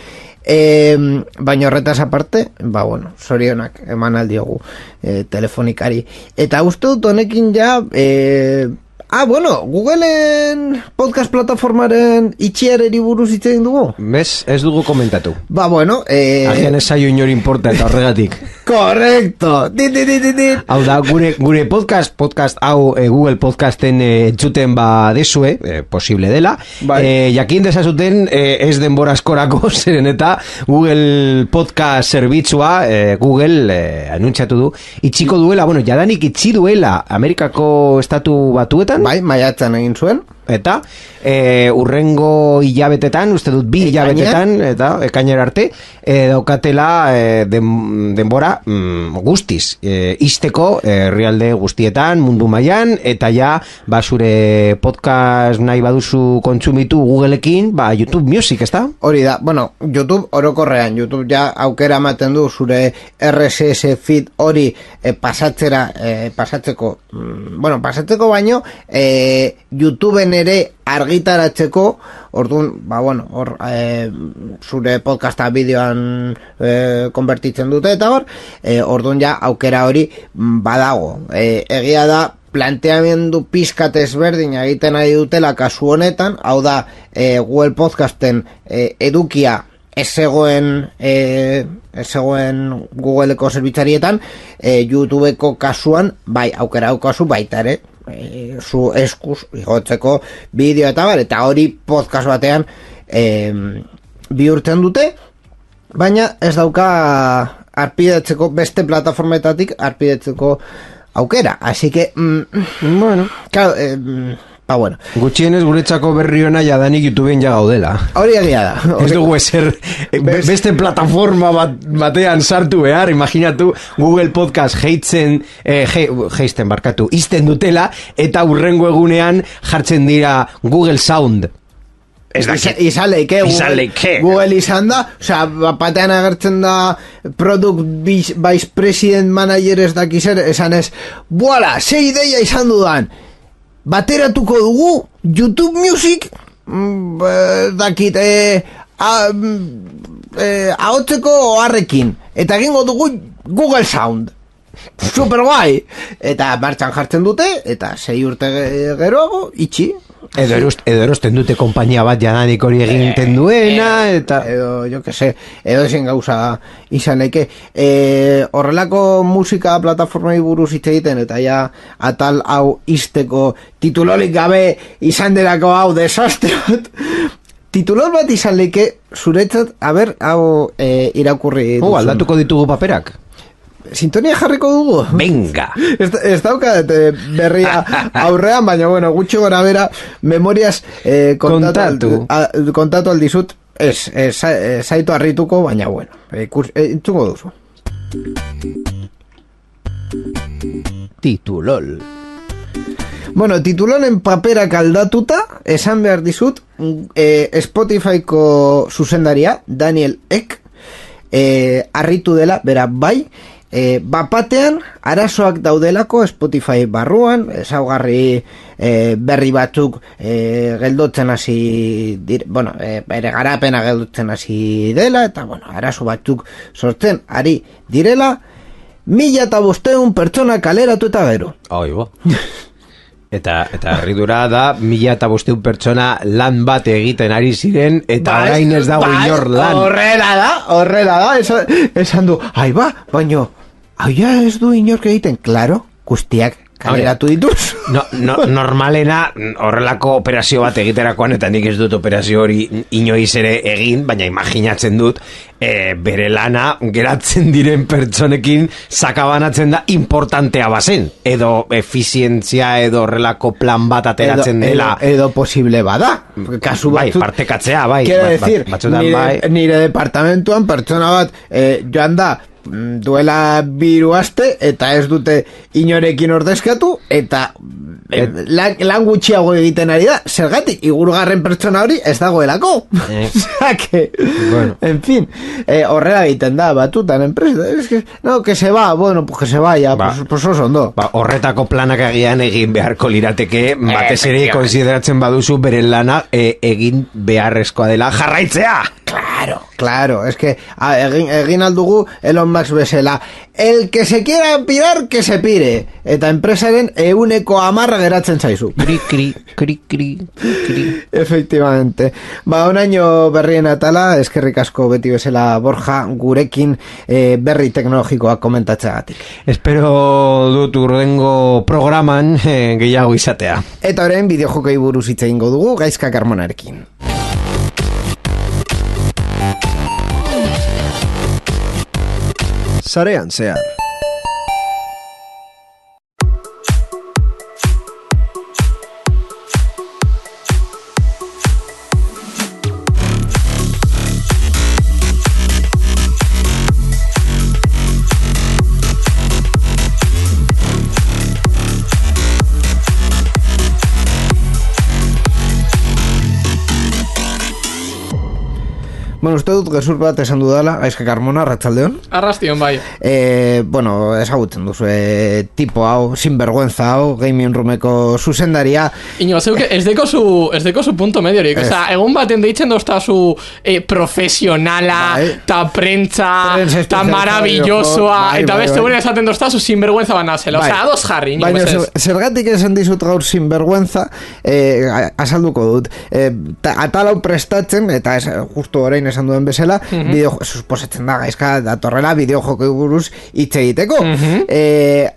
E, baina horretaz aparte, ba bueno, zorionak eman aldiogu e, telefonikari. Eta uste dut honekin ja e, ah, bueno, Googleen podcast plataformaren itxiareri buruz hitz egin dugu? Bez, ez dugu komentatu. Ba bueno, e... agian ez zaio inor importa eta horregatik. Correcto. Dit, dit, dit, dit. Hau da, gure, gure podcast, podcast hau e, Google Podcasten e, entzuten ba desue, e, posible dela. Bai. E, jakin desazuten e, ez denbora askorako zeren eta Google Podcast zerbitzua e, Google e, anuntziatu du. Itxiko duela, bueno, jadanik itxi duela Amerikako estatu batuetan. Bai, maiatzan egin zuen. Eta e, urrengo hilabetetan, uste dut bi hilabetetan, eta ekainera arte, e, daukatela e, den, denbora mm, guztiz, e, izteko herrialde guztietan, mundu mailan, eta ja, ba, zure podcast nahi baduzu kontsumitu Googleekin, ba, YouTube Music, ezta? Hori da, bueno, YouTube orokorrean, YouTube ja aukera ematen du zure R S S feed hori e, pasatzera, e, pasatzeko, mm, bueno, pasatzeko baino, e, YouTubeen ere argitaratzeko, orduan, ba bueno, hor e, zure podcasta bideoan e, konbertitzen dute eta hor, e, orduan ja aukera hori badago. E, egia da planteamendu pizkat ezberdin egiten ari dutela kasu honetan, hau da e, Google Podcasten e, edukia ez zegoen e, ez zegoen Googleeko zerbitzarietan, e, YouTubeko kasuan bai aukera daukazu baita ere e, zu eskuz igotzeko bideo eta bar, eta hori podcast batean e, bihurtzen dute, baina ez dauka arpidetzeko beste plataformetatik arpidetzeko aukera, así que mm, bueno, claro, eh, ba bueno, gutxienez guretzako berri ona jadanik YouTubeen ja gaudela. Hori egia da. Ez dugu ezer beste plataforma bat, batean sartu behar, imaginatu Google Podcast heitzen eh, he, heisten barkatu, izten dutela eta urrengo egunean jartzen dira Google Sound. Ez da, izan leike Google, Google izan da, osea, batean agertzen da Product Vice President Manager ez dakizer, esan ez, buala, ze ideia izan dudan, bateratuko dugu YouTube Music, mm, dakit, eh, a, eh, ahotzeko oharrekin, eta egingo dugu Google Sound. Super guai. Eta martxan jartzen dute, eta sei urte geroago, itxi. Edo, erost, edo erosten dute kompainia bat jadanik hori egiten duena, eta... Edo, jo que se, edo ezin gauza izan leke. E, horrelako musika plataformai buruz hitz egiten, eta ja atal hau izteko titulolik gabe izan derako hau desastre bat. Titulol bat izan leke zuretzat, a ber, hau e, irakurri duzun. Oh, aldatuko ditugu paperak. Sintonia jarriko dugu? Venga! Ez, ez daukat eh, berria aurrean, baina bueno, gutxo gora bera, memoriaz eh, kontatu, Kontatu. Al, a, kontatu aldizut, ez, ez, ez zaitu harrituko, baina bueno, eh, kurs, eh, entzungo duzu. Titulol. Bueno, titulonen paperak aldatuta, esan behar dizut, eh, Spotifyko zuzendaria, Daniel Ek, eh, harritu dela, bera bai, E, bapatean arazoak daudelako Spotify barruan, ezaugarri e, berri batzuk e, geldotzen hasi dire, bueno, e, bere garapena geldotzen hasi dela, eta bueno, arazo batzuk sortzen ari direla, mila eta bosteun pertsona kaleratu eta gero. Oi, bo. Eta, eta herridura da, mila eta bosteun pertsona lan bat egiten ari ziren, eta Bai, orain ez dago bai, inor lan. Horrela da, horrela da, esan, esan du, ai ba, baino, ai ja ez du inork egiten, klaro, guztiak kaleratu dituz. No, no, normalena horrelako operazio bat egiterakoan, eta nik ez dut operazio hori inoiz ere egin, baina imaginatzen dut, e, bere lana geratzen diren pertsonekin sakabanatzen da importantea bazen, edo efizientzia edo horrelako plan bat ateratzen edo, dela. Edo, edo posible bada. Kasu Bai, batzut, partekatzea, bai. quiero bat- bat- decir, batzutan nire, bai. nire departamentuan pertsona bat eh, joan da mm, duela biru aste eta ez dute inorekin ordezkatu eta eh, lan, lan gutxiago egiten ari da, zergatik igurgarren pertsona hori ez dagoelako. Eh. Osea que, Bueno. en fin, eh, horrela egiten da batutan enpresa, es que, no, que se va, bueno, pues que se vaya, Ba. pues, pues oso ondo. Ba, horretako planak agian egin beharko lirateke, batez ere konsideratzen baduzu bere lana e, egin beharrezkoa dela jarraitzea. Claro, claro, es que a, egin, egin aldugu Elon Musk bezala, el que se quiera pirar, que se pire, eta enpresaren euneko amarra geratzen zaizu. Kri, kri, kri, kri, kri. Efectivamente. Ba, onaino berrien atala, eskerrik asko beti bezala Borja, gurekin eh, berri teknologikoak komentatzeagatik. Espero dut urrengo programan eh, gehiago izatea. Eta orain bideojokei buruz hitz egingo dugu Gaizka Carmonarekin. Sarean zehar. Bueno, uste dut gezur bat esan dudala, Gaizka Carmona, Arratsaldeon. Arrastion, bai. Eh, bueno, ezagutzen duzu, eh, tipo hau, sinvergüenza hau, gaming roomeko zuzendaria. Ino, zeuke, ez deko su, ez deko su punto mediorik. Ez. Osa, egun baten deitzen dozta su eh, profesionala, Bai. ta prentza, Prentza ta especializada maravillosoa, bai, eta bai, beste bai. gure esaten dozta su sinvergüenza banazela. Bai. Osa, ados jarri, ino, Baina bezez. zer- zergatik esan dizut gaur sinvergüenza, eh, azalduko dut. Eh, ta, atalau prestatzen, eta ez, justu orain esan duen bezala, bideo, suposatzen da Gaizka datorrela bideojoko buruz hitz egiteko. eh,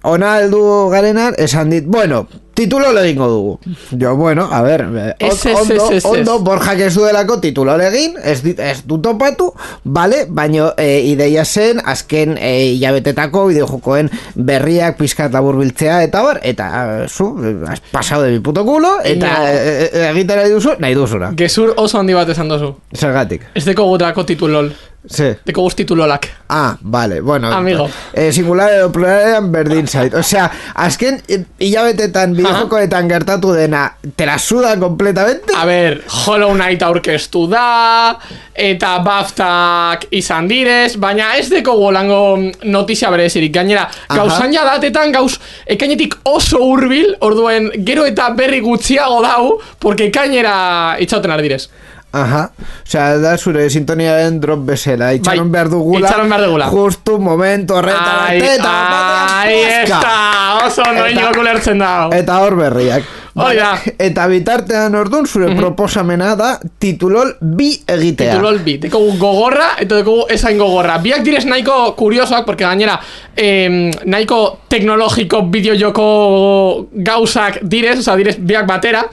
ona heldu garenan esan dit, bueno, titulo egingo dugu. Jo, bueno, a ver, eh, Ez, ez, ondo, ez, ez, ez. ondo, Borjak ez duelako titulo egin, ez, dit, ez du topatu, bale, baino e, ideia zen, azken e, hilabetetako bideojokoen berriak pizkat laburbiltzea, eta bar, eta eh, zu, eh, has pasado de mi puto culo, eta No. e, e, egiten nahi duzu, nahi duzuna. Gezur oso handi bat esan dozu. Zergatik. Ez deko gutako titulol. Sí. Deko guz titulolak. Ah, vale, bueno. Amigo. Eh, singular edo pluralean berdin zait. Osea, azken eh, hilabetetan, bideojokoetan gertatu dena, te la suda completamente. A ber, Hollow Knight aurkeztu da, eta BAFTak izan direz, baina ez deko golango notizia berezirik. Gainera, Aha. gauzan ja datetan gauz ekainetik oso hurbil, orduen gero eta berri gutxiago dau, porque ekainera itxauten ardirez. Aha, osea, da zure sintoniaren drop bezala, itxaron Bai, behar dugula, itxaron behar dugula. justu momento horretan Ai, arte, eta ai, batean ez puska. da, oso Eta- noinok ulertzen dago. Eta hor berriak. Hori da. Eta bitartean ordun zure mm -hmm. proposamena da titulol bi egitea. Titulol bi. Dekogu gogorra eta dekogu esain gogorra. Biak direz nahiko kuriosoak, porque gainera eh, nahiko teknologiko bideojoko gauzak direz, oza, direz biak batera.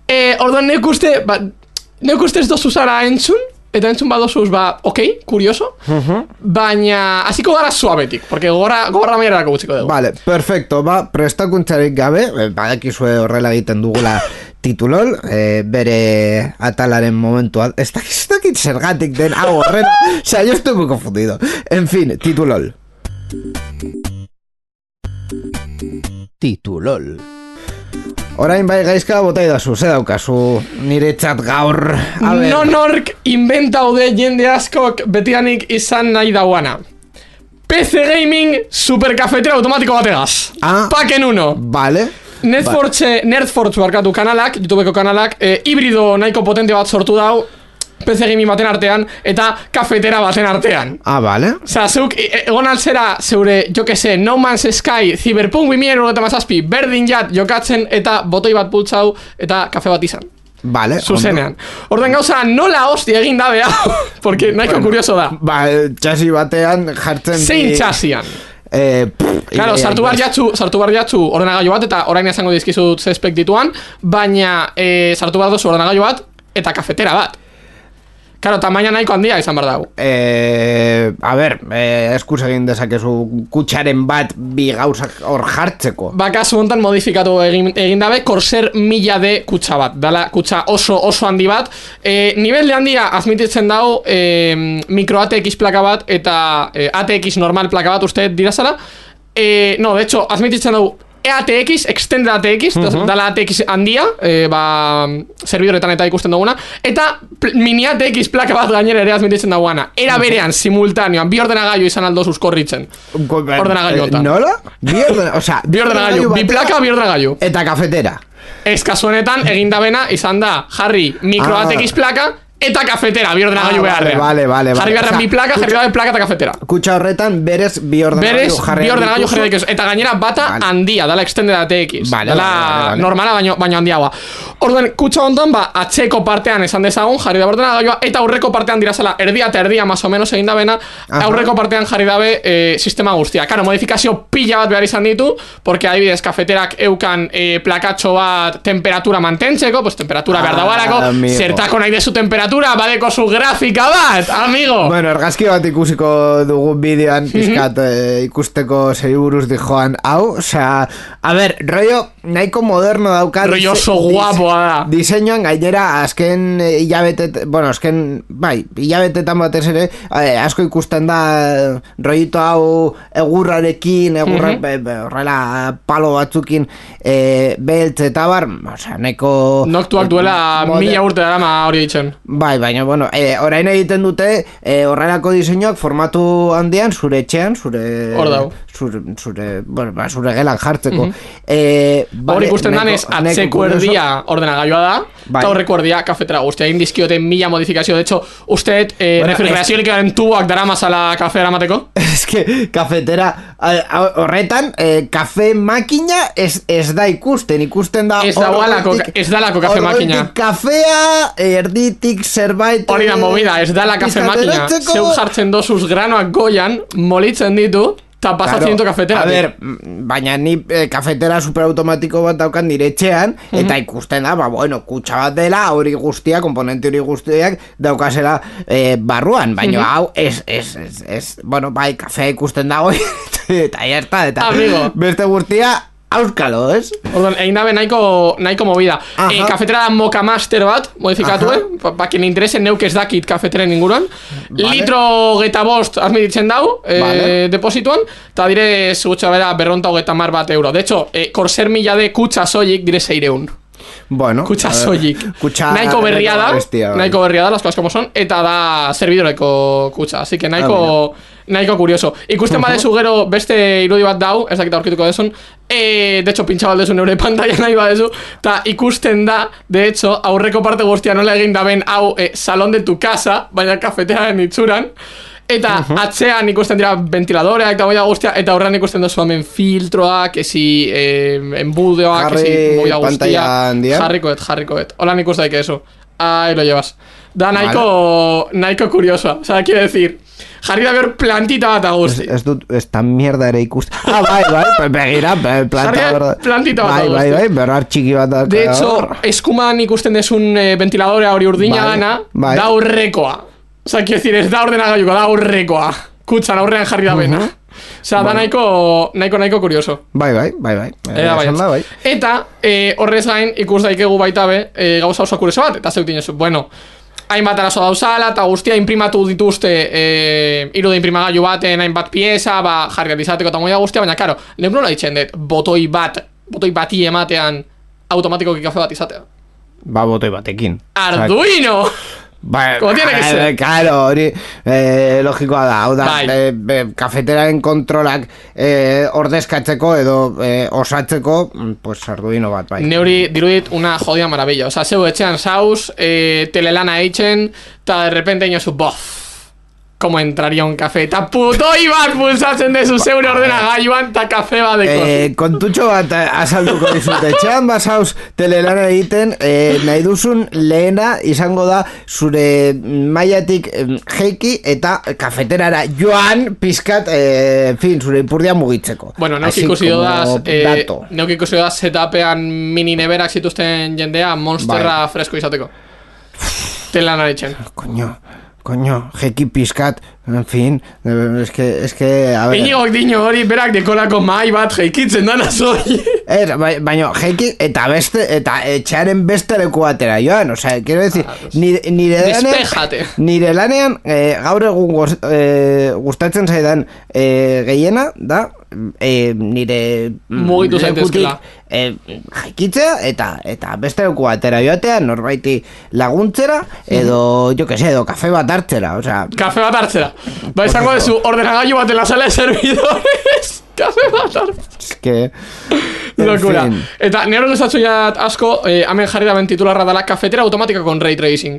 Eh, orduan neuk uste, ba, neuk uste ez dozu zara entzun, eta entzun badozuz, ba, okei, okay, kurioso, uh-huh. Baina, hasiko gara suabetik, porque gogorra, gogorra maierarako gutxiko dugu. Vale, perfecto, ba, prestakuntzarik gabe, badakizue horrela egiten dugula titulol, e, bere atalaren momentua, ez dakit, ez dakit zergatik den, hau horren, o sea, yo estoy muy confundido. En fin, titulol. Titulol. Orain bai gaizka botai dazu, ze daukazu nire txat gaur. Nonork inventaude jende askok betianik izan nahi dauana. P C Gaming superkafetera automatiko bategaz. Ah, Paken uno. Vale. Nerdforge, Nerdforge barkatu kanalak, YouTubeko kanalak, e, hibrido nahiko potente bat sortu dau, P C Gaming baten artean, eta kafetera baten artean. Ah, vale. Osa, zeuk, egon altzera, zeure, jo que se, No Man's Sky, Cyberpunk bi mila hamazazpi, berdin jat jokatzen, eta botoi bat pultzau, eta kafe bat izan. Vale. Zuzenean. Orden gauza, nola hosti egin dabe hau, porque nahiko bueno, kurioso da. Ba, txasi batean jartzen... Zein txasian? Eh, claro, sartu bar jatzu, sartu bar jatzu ordenagailu bat, eta orain esango dizkizut zespek dituan, baina eh, sartu bar dozu ordenagailu bat, eta kafetera bat. Claro, tamaina nahiko handia izan behar dago. Eh, a ber, eh, eskuz egin dezakezu kutxaren bat bi gauzak hor jartzeko. Ba, kasu hontan modifikatu egin, egin dabe, Corsair mila D kutxa bat. Dala, kutxa oso oso handi bat. Eh, nivel de handia azmititzen dago eh, micro A T X plaka bat eta eh, A T X normal plaka bat, uste dirazala. Eh, no, de hecho, azmititzen dago E A T X, Extended A T X, uh-huh. Dala A T X handia, e, ba, servidorretan eta ikusten duguna, eta mini A T X plaka bat gainera ere azmititzen dagoana. Era berean, simultaneoan, bi ordenagailu izan aldo zuzkorritzen. Ordenagailu eta. ¿Nola? Bi ordenagailu, o sea, bi ordenagailu, bi plaka, bi ordenagailu. Eta kafetera. Ez kasuanetan, egindabena izan da, jarri micro ah. A T X plaka, eta kafetera, bi ordenagailu ah, beharrean. Vale, vale, vale. Jarri beharrean bi plaka, jarri beharrean plaka eta kafetera. Kutxa horretan, berez bi ordenagailu jarri. Berez, bi ordenagailu jarri dikuzu. Eta gainera bata vale. Handia, dala Extended A T X. Vale, dala vale, vale. Normala, baino, baino handiagoa. Orduen, kutxa hontan, ba, atzeko partean esan dezagun, jarri da ordenagailua, eta aurreko partean dirazala, erdia eta erdia, más o menos egin dabena, aurreko partean jarri dabe e, sistema guztia. Karo, modifikazio pila bat behar izan ditu, porque adibidez, kafeterak eukan e, plakatxo bat temperatura mantentzeko, pues temperatura ah, behar daualako, zertako nahi dezu temperatura, badeko zu grafika bat, amigo. Bueno, argazki bat ikusiko dugu bideoan pizkat mm -hmm. eh, ikusteko zei buruz di joan hau, osea, a ver, rollo nahiko moderno daukat. Rollo oso guapoa da. Diseinuan gainera azken hilabete, bueno, azken, bai, hilabetetan batez ere, eh, asko ikusten da rollito hau egurrarekin, egurra, mm -hmm. horrela palo batzukin, eh, beltz eta bar, osea, nahiko... Noktuak duela mila urte dara hori ditzen. Bai, baina, bueno, e, orain egiten dute e, horrelako diseinuak formatu handian zure etxean, zure... Hor dau. Zure, zure, bueno, ba, zure gelan jartzeko. Mm -hmm. e, Hor ikusten danez, atzeko erdia ordenagailua da, bai. Eta horreko erdia kafetera guztia. Egin dizkiote mila modifikazio, de hecho, usteet eh, bueno, refrigerazio likaren tuboak dara masala kafera amateko? Ez que kafetera, horretan, eh, kafe makina ez, ez da ikusten, ikusten da... Ez da gualako, ez da lako kafe makina. Kafea, erditik zerbait... Hori da movida, ez da la kafe makina. Zeu jartzen dozuz granoak goian, molitzen ditu, eta pasatzen ditu kafetera. A ver, baina ni eh, kafetera superautomatiko bat daukan nire etxean, mm -hmm. eta ikusten da, ba, bueno, kutsa bat dela, hori guztia, komponente hori guztiak, daukazela eh, barruan, baina mm -hmm. hau, ez, ez, ez, ez, bueno, bai, kafea ikusten dago, eta ya está, eta amigo. Beste guztia, auskalo, ez? Orduan, egin dabe nahiko, nahiko movida. E, kafetera da Mocha Master bat, modifikatu, eh? Pa, pa quien interese, neuk ez dakit kafeteren inguruan. Vale. Litro geta bost azmititzen dau, e, vale. Deposituan, eta dire, segutxa bera, berronta hogeta mar bat euro. De hecho, e, Corsair mila de kutsa soilik dire seireun. Bueno, kutsa soilik. Nahiko berria da, bestia, nahiko berria da, las cosas como son, eta da servidoreko kutsa. Así que nahiko... Ah, nahiko kurioso. Ikusten uh -huh. badezu gero beste irudi bat dau, ez dakita aurkituko desun, e, de hecho, pintxa baldezu neure pantalla nahi badezu, eta ikusten da, de hecho, aurreko parte guztia nola egin daben hau e, salón de tu casa, baina kafetearen itzuran, Eta uh-huh. atzean ikusten dira ventiladoreak eta moida guztia, eta horrean ikusten duzu hemen filtroak, esi eh, embudeoak, esi moida guztia. Jarrikoet, jarrikoet. Hola nik uste daik eso. Ahí lo llevas. Da nahiko, vale. nahiko curiosa. O sea, quiere decir, jarri da behar plantita bat aguzti. Ez dut, esta mierda ere ikusten. Ah, bai, bai, begira, planta. Plantita bat aguzti. Bai, bai, bai, berrar txiki bat. De hecho, eskuman ikusten desun eh, ventiladorea hori urdina bai, gana, bai. Da aurrekoa. O sea, quiero decir, ez da ordenagailuko, da aurrekoa. Kutsan aurrean jarri da bena. Uh-huh. O sea, da nahiko, nahiko, nahiko curioso. Bai, bai, bai, bai. Eta, bai. Da, bai. Eta eh, horrez gain, ikus daikegu baita be, eh, gauza oso kurioso bat, eta zeuk dinezu, bueno, hainbat arazo dauzala, eta guztia imprimatu dituzte eh, irude imprimagailu baten hainbat pieza, ba, jarri izateko eta moia guztia, baina, karo, lehen nola ditzen dut, botoi bat, botoi bati ematean automatikoki kafe bat izatea. Ba, botoi batekin. Arduino! Ba, como tiene que ser. Claro, hori eh, logikoa da. Hau da, eh, eh, kafeteraren kontrolak eh, ordezkatzeko edo eh, osatzeko, pues Arduino bat, bai. Neuri dirudit una jodida maravilla. O sea, zeu etxean saus, eh, telelana eitzen, eta de repente inozu, bof, como entraría un café. Ta putoi bat pulsatzen dezu zeure ordenagailuan, ta kafe bat deko. Eh, kontutxo bat azalduko dizut. Etxean basauz telelana egiten, eh, nahi duzun lehena izango da zure mailatik eh, jeiki eta kafeterara joan pizkat, eh, fin, zure ipurdia mugitzeko. Bueno, neuk ikusi dodaz, eh, neuk ikusi dodaz setapean mini neberak zituzten jendea monsterra bai. Fresko izateko. Telelana eitzen. Coño. Coño, jeki pizkat, en fin, es que, es que, a ver... Iñigok dino hori berak dekolako mai bat jeikitzen dana zoi. Er, baina, jeki, eta beste, eta etxearen beste leku batera joan, o sea, quiero decir, ah, pues, nire, nire despejate. Lanean, nire lanean, eh, gaur egun goz, eh, gustatzen zaidan eh, gehiena, da, eh, nire... Mugitu zaitezkela. Eh, jaikitzea, eta, eta beste leku batera joatea, norbaiti laguntzera, edo, jo que sé, edo kafe bat hartzera, o sea... Kafe bat hartzera. Ba, izango dezu, ordenagailu bat en la sala de servidores. Kafe bat hartzera. Es que... Locura. En fin. Eta nero gustatu jat asko, eh, hemen jarri da ben titularra dela cafetera automática con ray tracing.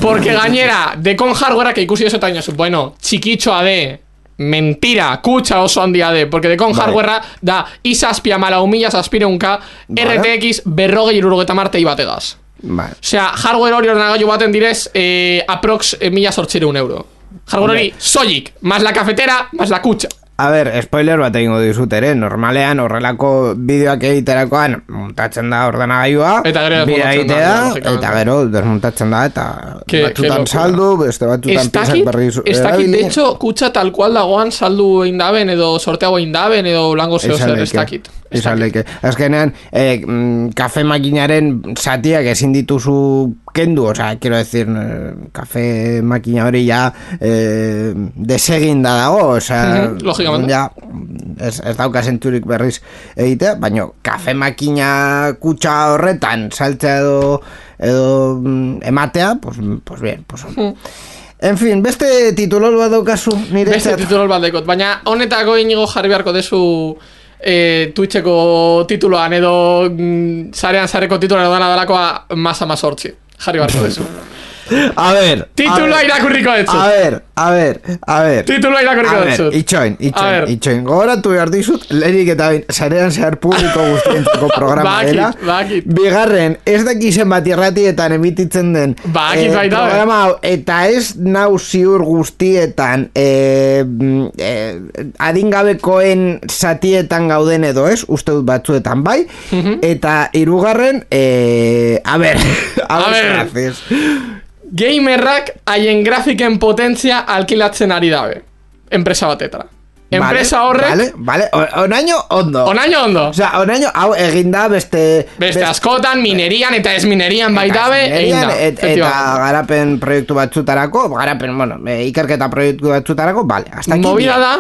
Porque gainera, de con hardware que ikusi eso taño, bueno, txikitxoa de... Mentira, kutsa oso handia de, porque de con vale. Hardware da izazpia mala humilla zazpireunka vale. R T X berrogei irurogeta martei bategaz. Vale. Osea, hardware hori ordenagailu baten direz eh, aprox eh, mila sortzireun euro. Hardware hori soilik, más la cafetera, más la kutsa. A ver, spoiler bat egingo dizut ere, normalean horrelako bideoak egiterakoan montatzen da ordenagailua, bidea egitea, eta gero desmontatzen da, eta que, batzutan que saldu, beste batzutan piezak berriz erabili. Ez dakit, de hecho, kutsa tal cual dagoan saldu eindaben, edo sorteago eindaben, edo lango zeo zer, ez dakit. Izaleke. Azkenean, eh, kafe makinaren zatiak ezin dituzu kendu, o sea, quiero decir, kafe makina hori ja eh, deseginda dago, o sea, lógicamente. Ja, ez, ez dauka zentzurik berriz egitea, baina kafe makina kutsa horretan saltzea edo, edo ematea, pues, pues bien, pues... Mm. En fin, beste titulol bat daukazu nire Beste zat. Titulol bat daukot, baina honetako inigo jarri beharko dezu E, Twitcheko tituloan edo mm, zarean zareko tituloan dana dalakoa masa mazortzi jarri barko dezu. A ver, tituloa irakurriko detzu. A ver, a ver, a ver tituloa irakurriko detzu. Itxoin, itxoin, itxoin gogoratu behar dizut, lehenik eta bain zarean zehar publiko guztientzako programa dela. Bakit, bigarren, ez dakizen bat irratietan emititzen den bakit, eh, programa hau, eta ez nau ziur guztietan eh, eh, adingabekoen zatietan gauden edo ez, uste dut batzuetan bai, uh-huh. Eta hirugarren eh, a ver, a, a ver, gracias. Gamerrak haien grafiken potentzia alkilatzen ari dabe enpresa batetara. Enpresa vale, horrek Vale, vale, onaino ondo Onaino ondo O sea, onaino hau eginda beste Beste askotan, minerian eta ez minerian baitabe eginda et, Eta garapen proiektu batzutarako Garapen, bueno, ikerketa proiektu batzutarako Vale, hasta aquí movida da,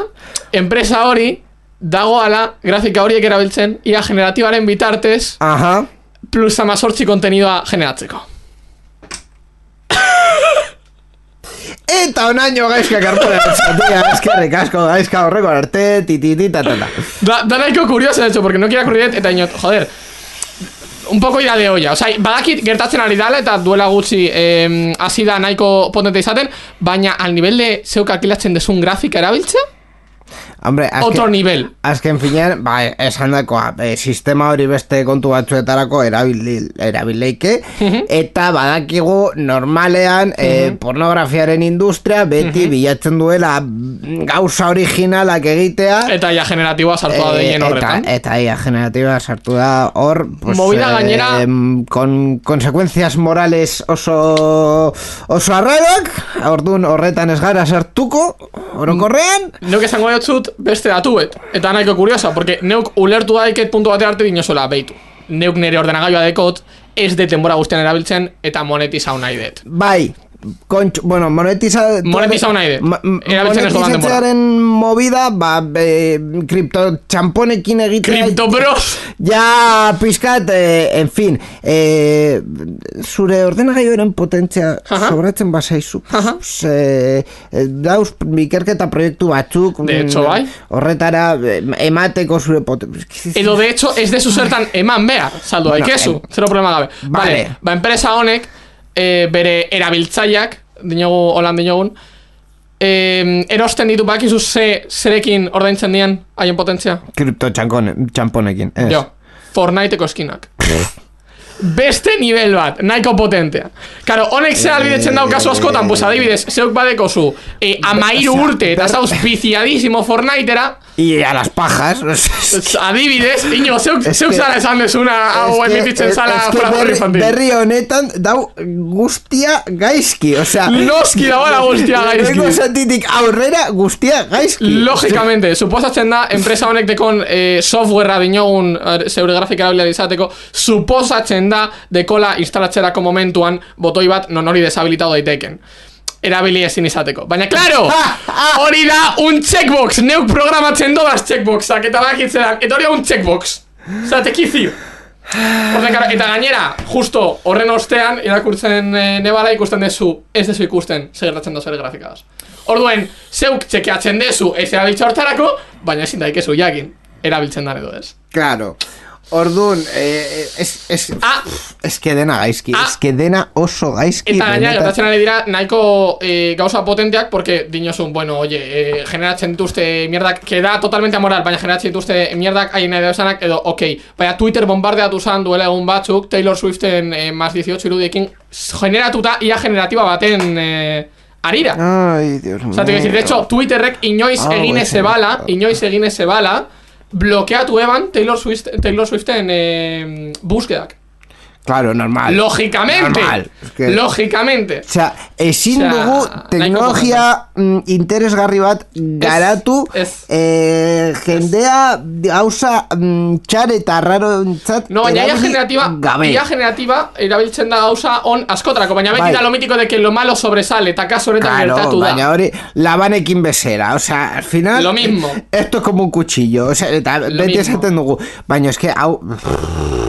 enpresa hori dagoala grafika horiek erabiltzen ia generatibaren bitartez Aha. Plus amazortzi kontenidoa generatzeko. Eta onaino gaizka karpura zatia, eskerrik asko gaizka horreko arte, tititi, tatata. Da, da nahiko curioso, de hecho, porque no quiero ocurrir, eta inot, joder, un poco ida de olla. Osea, badakit gertatzen ari dala eta duela gutxi eh, hasi da nahiko potente izaten, baina al nivel de zeuk alkilatzen desun grafika erabiltzea? Hombre, azken, otro nivel. Azken finean, ba, esan dakoa, e, sistema hori beste kontu batzuetarako erabil, erabileike, uh-huh. eta badakigu normalean uh-huh. e, pornografiaren industria beti uh-huh. bilatzen duela gauza originalak egitea. Eta ia generatiboa sartu da deien horretan. Eta, eta ia generatiboa sartu da hor, pues, movida gainera... Eh, con consecuencias morales oso, oso arraroak, orduan horretan ez gara sartuko, orokorrean. Neuk esango dut beste datuet, eta nahiko kuriosa, porque neuk ulertu daiket puntu bate arte dinosola, beitu. Neuk nire ordenagailua dekot, ez de denbora guztian erabiltzen, eta monetizau nahi det. Bai, kontx, bueno, monetiza... Monetizau nahi det. Erabiltzen ez dodan denbora. Monetizatzearen movida, ba, e, kripto txamponekin egitea... Kripto bros! Ja, pizkat, eh, en fin, eh, zure ordenagailuaren potentzia uh-huh. sobratzen basaizu. Uh-huh. Eh, dauz, ikerketa proiektu batzuk... De hecho, bai. Horretara, emateko zure potentzia... Edo, de hecho, ez dezu zertan eman behar, saldu bueno, daikezu, em... zero problema gabe. Vale. Vale, ba, enpresa honek, eh, bere erabiltzaileak, dinogu, holan dinogun, eh, erosten ditu bakizu ze, zerekin ordaintzen dien haien potentzia? Kripto txamponekin. Jo, Fortniteko eskinak. Beste nivel bat, nahiko potentea. Karo, honek ze albidetzen dau kasu askotan, pues adibidez, zeuk badeko zu eh, amairu urte eta zauz viciadísimo Fortnitera. Y a las pajas. Adibidez, ino, zeuk, zeuk zara esan desuna hau emititzen zala frazorri infantil. Berri honetan dau guztia gaizki, osea... Noski dagoela guztia gaizki. Ego sentitik aurrera guztia gaizki. Logikamente, suposatzen da, enpresa honek dekon eh, softwarea dinogun zeure grafika erabilia izateko, suposatzen da dekola instalatzerako momentuan botoi bat non hori deshabilitatu daiteken. Erabili ezin izateko. Baina, klaro, hori da un checkbox. Neuk programatzen dobaz checkboxak eta bakitzean. Eta hori da un checkbox. Zatekizio. Eta gainera, justo horren ostean, irakurtzen e, nebala ikusten dezu, ez dezu ikusten, segertatzen dozer grafikagaz. Orduen, zeuk txekeatzen dezu, ez erabiltza hortarako, baina ezin daikezu jakin, erabiltzen dan edo ez. Claro. Orduan, eh, es, es, ah, es que dena gaizki, ah, es que dena oso gaizki. Eta gaina, gertatzen ari dira, nahiko eh, gauza potenteak, porque dinozun, bueno, oye, eh, generatzen dituzte mierdak, que da totalmente amoral, baina generatzen dituzte mierdak, hain nahi dauzanak, edo, ok, baina Twitter bombardeatu zan duela egun batzuk, Taylor Swiften eh, más dieciocho irudiekin, generatuta ia generatiba baten... Eh, arira. Ai, Dios mío. O sea, te decir, de hecho, Twitterrek inoiz oh, egin eze bala, inoiz egin eze bala, blokeatu eban Taylor Swift, Taylor Swiften eh, búsquedak. Claro, normal. Lógicamente. Normal. Es que... Lógicamente. O sea, ezin o sea, dugu teknologia mm, interesgarri bat garatu es, es, eh, jendea gauza mm, txar eta raro entzat. No, baina ia generativa, ia generativa erabiltzen da gauza on askotarako, baina beti da lo mítico de que lo malo sobresale, eta kaso honetan claro, gertatu da. Baina hori, labanekin bezera, o sea, al final... Lo mismo. Esto es como un cuchillo, o sea, eta beti esaten dugu, baina es que, hau...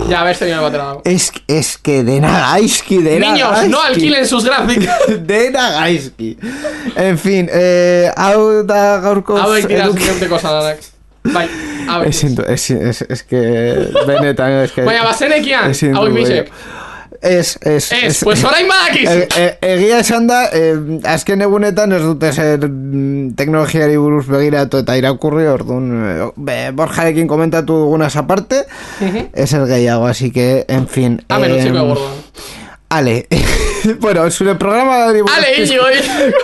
Ya, a ver, señor Batera. Es, es que dena gaizki, dena Niños, gaizki. no alquilen sus gráficas. Dena gaizki. En fin, eh, hau da gaurko... Hau daik dira zinte cosa danak. Bai, hau daik. Es, es, es que... Benetan, es que... Baina, bazenekian, hau ikbizek. Ez, ez, ez, ez, pues orain badakiz. E, e, egia esan da, e, azken egunetan ez dute zer teknologiari buruz begiratu eta irakurri, orduan, be, Borjarekin komentatu dugunaz aparte, uh-huh. ez er gehiago, así que, en fin. Amen, utziko de bordoan. Ale, bueno, zure programa Ale, Iñigo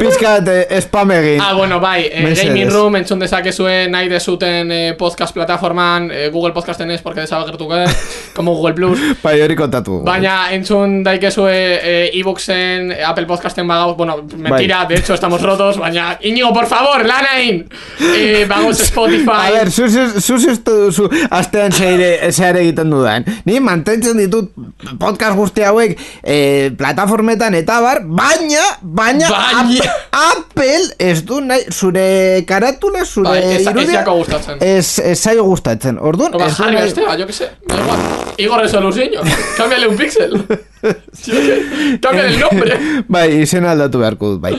pizkat eh, spam egin. Ah, bueno, bai, eh, Gaming Room entzun dezakezue nahi dezuten eh, podcast plataforman, eh, Google Podcasten ez, porque desagertuko eh, como Google Plus. Bai, hori kontatu. Baina entzun daikezue eh, e-booksen, eh, Apple Podcasten bagauz, bueno, mentira, bai. De hecho estamos rotos, baina Iñigo, por favor, lanain! Eh, bagauz Spotify. A ver, zuz ez duzu astean zehar egiten dudan. Ni mantentzen ditut podcast guzti hauek Eh, plataformetan eta bar, baina, baina, baina. Apple ez du nahi, zure karatula, zure bai, irudia, ez zaio gustatzen. Orduan, ez du nahi... Este, yo que sé, Igor Resolución, cámbiale un píxel. Cámbiale el nombre. Bai, izena aldatu beharko dut, bai.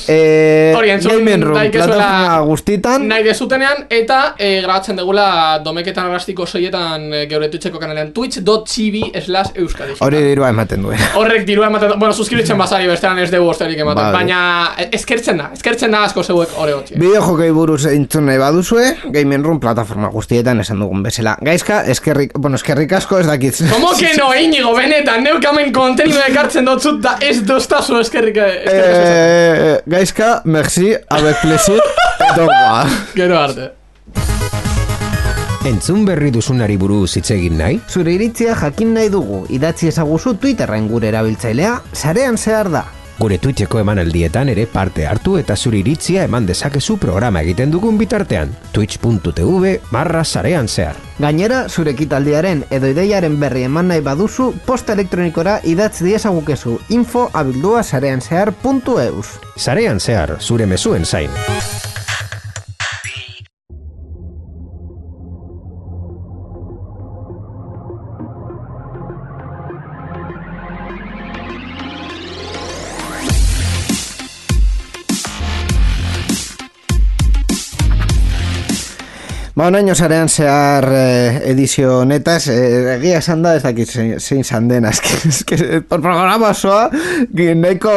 Eh, Hori, entzun Gaming Room, daikezuela plataforma guztietan. nahi dezutenean, eta eh, grabatzen degula domeketan arrastiko soietan eh, geure Twitcheko kanalean twitch.tv slash euskadi. Hori dirua ematen duen. Horrek dirua ematen, bueno, suskribitzen bazari bestean ez dugu osterik ematen, Vale. baina eskertzen da, eskertzen da asko zeuek hori gotxi. Bideo jokei buruz entzun nahi baduzue, Gaming Room plataforma guztietan esan dugun bezala. Gaizka, eskerrik, bueno, eskerrik asko ez dakit. Como que no, Iñigo, benetan, neukamen kontenido ekartzen dotzut da ez doztazu eskerrik eskerrik eskerrik. Eh, Gaizka, merci, avec plaisir, edo guá. Gero arte. Entzun berri duzunari buruz hitz egin nahi? Zure iritzia jakin nahi dugu, idatzi ezaguzu Twitterren gure erabiltzailea, sarean zehar da. Gure Twitcheko emanaldietan ere parte hartu eta zure iritzia eman dezakezu programa egiten dugun bitartean. Twitch.tv barra sarean zehar. Gainera, zure ekitaldiaren edo ideiaren berri eman nahi baduzu, posta elektronikora idatz diezagukezu info abildua sarean zehar puntu eus. Sarean zehar, zure mezuen zain. Ba, onaino sarean zehar eh, edizio honetaz, eh, egia esan da ez dakit zein, zein izan den, azken, por programa osoa, nahiko,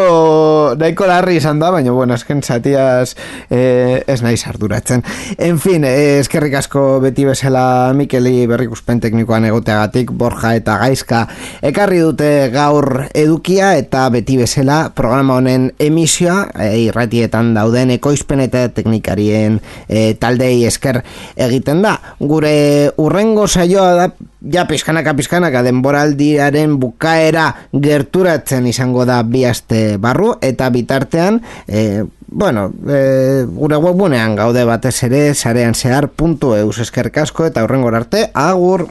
nahiko larri izan da, baina, bueno, azken zatiaz eh, ez nahi arduratzen. En fin, eh, eskerrik asko beti bezala Mikeli berrikuspen teknikoan egoteagatik, Borja eta Gaizka ekarri dute gaur edukia eta beti bezala programa honen emisioa, eh, irratietan dauden ekoizpen eta teknikarien eh, taldei esker egiten da. Gure urrengo saioa da ja pizkanaka pizkanaka denboraldiaren bukaera gerturatzen izango da bi aste barru eta bitartean eh, bueno, eh, gure webgunean gaude batez ere sarean zehar puntu eus eskerrik asko eta urrengora arte agur.